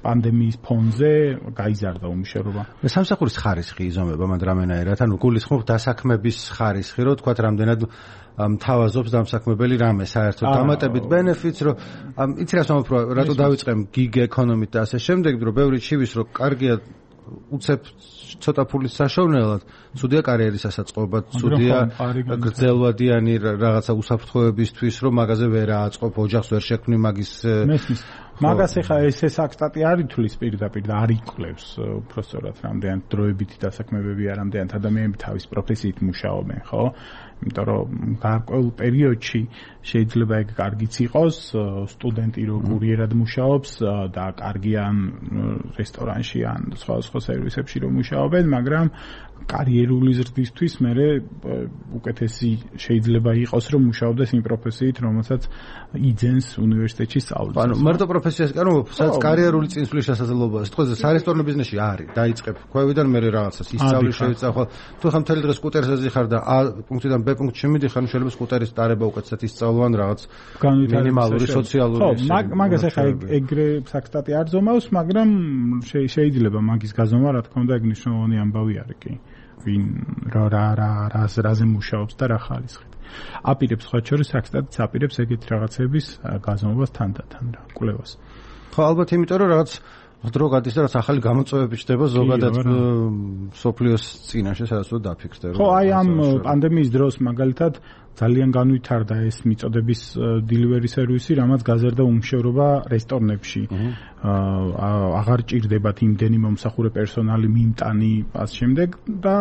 პანდემიის ფონზე გაიზარდა უმუშევრობა. სამსახურის ხარისხი იზომება მანდრამენაერად, ანუ გულისხმობ დასაქმების ხარისხი, რომ თქვა რამდენად მთავაზობს დამსაქმებელი რამე საერთოდ დამატებით benefits, რომ იცი რა სამოფრო რატო დავიწყեմ gig economy-ით და ასე შემდეგ, რომ ბევრი ჩივის რომ კარგია უცებ ცოტა ფულის საშოვნელად, ცუდია კარიერის ასაწყობად, ცუდია გრძელვადიანი რაღაცა უსაფრთხოებისთვის, რომ მაგაზე ვერ ააწყობ, ოჯახს ვერ შექმნი მაგის მაგას ეხა ეს საქსტატი არ ითვლის პირდაპირ და არ იკვლევს უბრალოდ რამდენად დროებითი დასაქმებები არ რამდენად ადამიანები თავის პროფესიით მუშაობენ, ხო? იმიტომ რომ გარკვეულ პერიოდში შეიძლება ეგ კარგიც იყოს, სტუდენტი რო კურიერად მუშაობს და კარგი ან რესტორანში ან სხვა სერვისებში რო მუშაობენ, მაგრამ კარიერული ზრდისთვის მერე უკეთესი შეიძლება იყოს რომ მუშაობდეს იმ პროფესიით, რომელსაც იძენს უნივერსიტეტში სწავლას. ანუ მარტო პროფესიას, ანუ სადაც კარიერული წინსვლის შესაძლებლობაა. სიტყვაზე სარესტორნო ბიზნესში არის, დაიწყებ ქვევიდან მერე რაღაცას ისწავლი შეეცახ. თუ ხომ მთელი დღე სკუტერზე ზიხარ და A პუნქტიდან B პუნქტში მიდიხარ, შეიძლება სკუტერის დარება უკეთესად ისწავლვან რაღაც მინიმალური სოციალური. ხო, მაგას ახლა ეგრე საქსტატი არ ზომავს, მაგრამ შეიძლება მაგის გაზომა, რა თქმა უნდა, ეგ მნიშვნელოვანი ამბავი არის კი. ვინ რაზე მუშაობს და რა ხარისხით. აპირებს სხვა შორის აქცენტს აპირებს ეგეთ რაღაცების გაზომვას თანდათან რა კვლევას. ხო ალბათ იმიტომ რომ რაღაც დრო გადის და რაც ახალი გამოწვევები ჩდება ზოგადად სოფლიოს წინაშე სადაც უნდა დაფიქსდე რომ ხო აი ამ პანდემიის დროს მაგალითად ძალიან განვითარდა ეს მიწოდების delivery service, რამაც გაზარდა უმუშევრობა რესტორნებში. აღარ ჭირდებათ იმდენი მომსახურე პერსონალი, მიმტანი, ამ შემდეგ და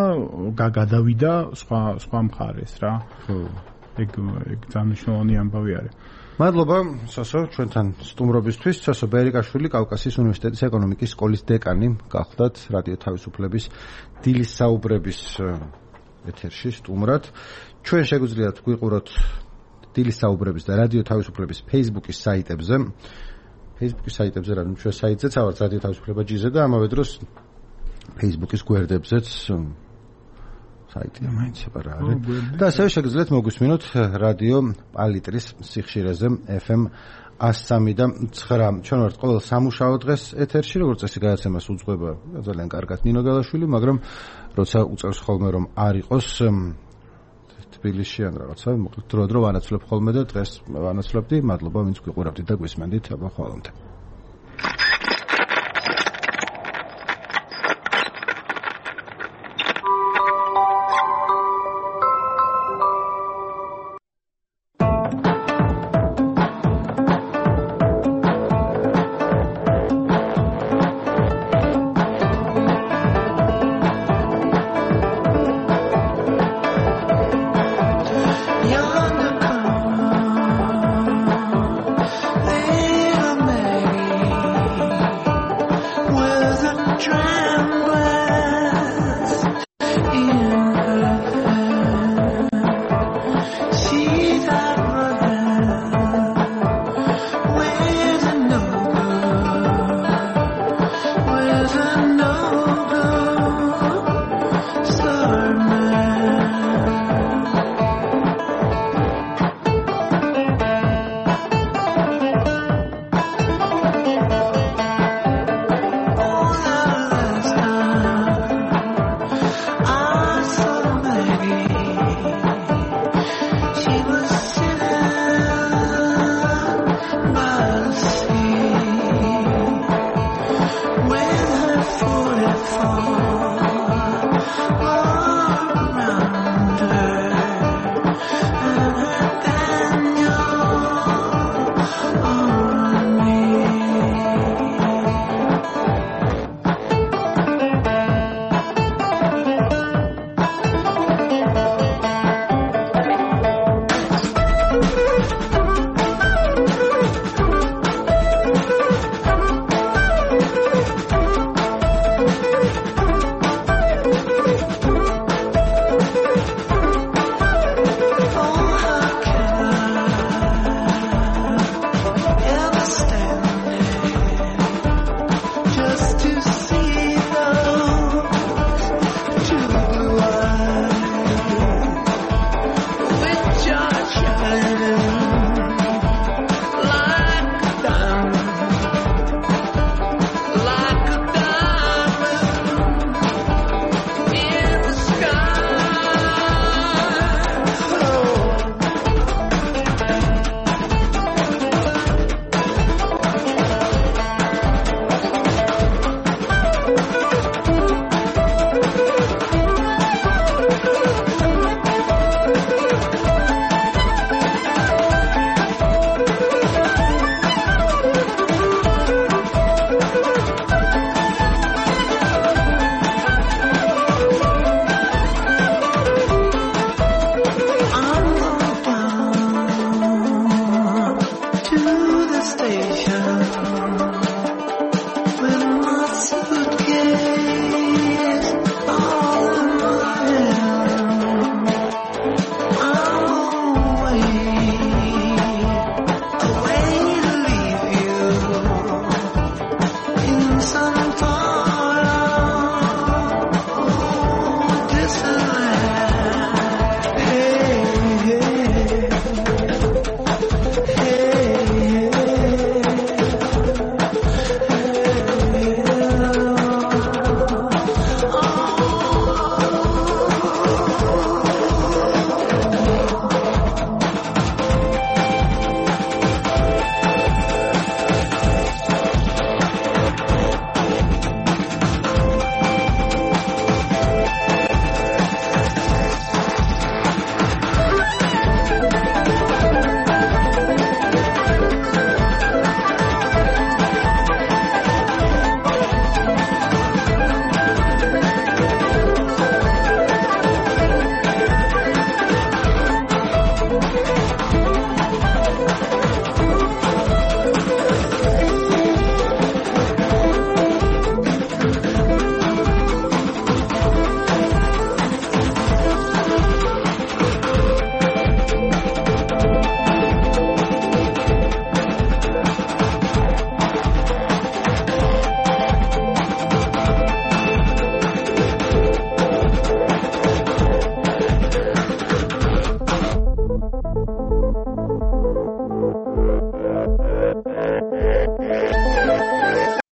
გადავიდა სხვა მხარეს რა. ხო. ეგ ძალიან მნიშვნელოვანი ამბავი არის. მადლობა სოსო ჩვენთან სტუმრობისთვის. სოსო ბერიკაშვილი კავკასიის უნივერსიტეტის ეკონომიკის სკოლის დეკანი გახლდათ რადიო თავისუფლების დილის საუბრების ეთერში სტუმრად. ჩვენ შეგვიძლიათ გვიყუროთ დილის საუბრების და რადიო თავისუფლების Facebook-ის საიტებზე. Facebook-ის საიტებზე რა ჩვენ საიტზეც ავართ რადიო თავისუფლება ჯიზე და ამავე დროს Facebook-ის გვერდებზეც საიტია მაინც სეპარატი. და ასევე შეგვიძლიათ მოგვისმინოთ რადიო პალიტრის სიხშირეზე FM 103.9. ჩვენ ვართ ყოველ სამუშაო დღეს ეთერში, როგორც წესი გადაცემას უძღვება ძალიან კარგად ნინო გელაშვილი, მაგრამ როცა უწევს ხოლმე რომ არ იყოს თბილისში ან რაღაცა, მოკლედ დრო ვანაცვლებ ხოლმე და დღეს ვანაცვლებდი. მადლობა ვინც გვიყურავდით და გვისმენდით. აბა ხვალამდე.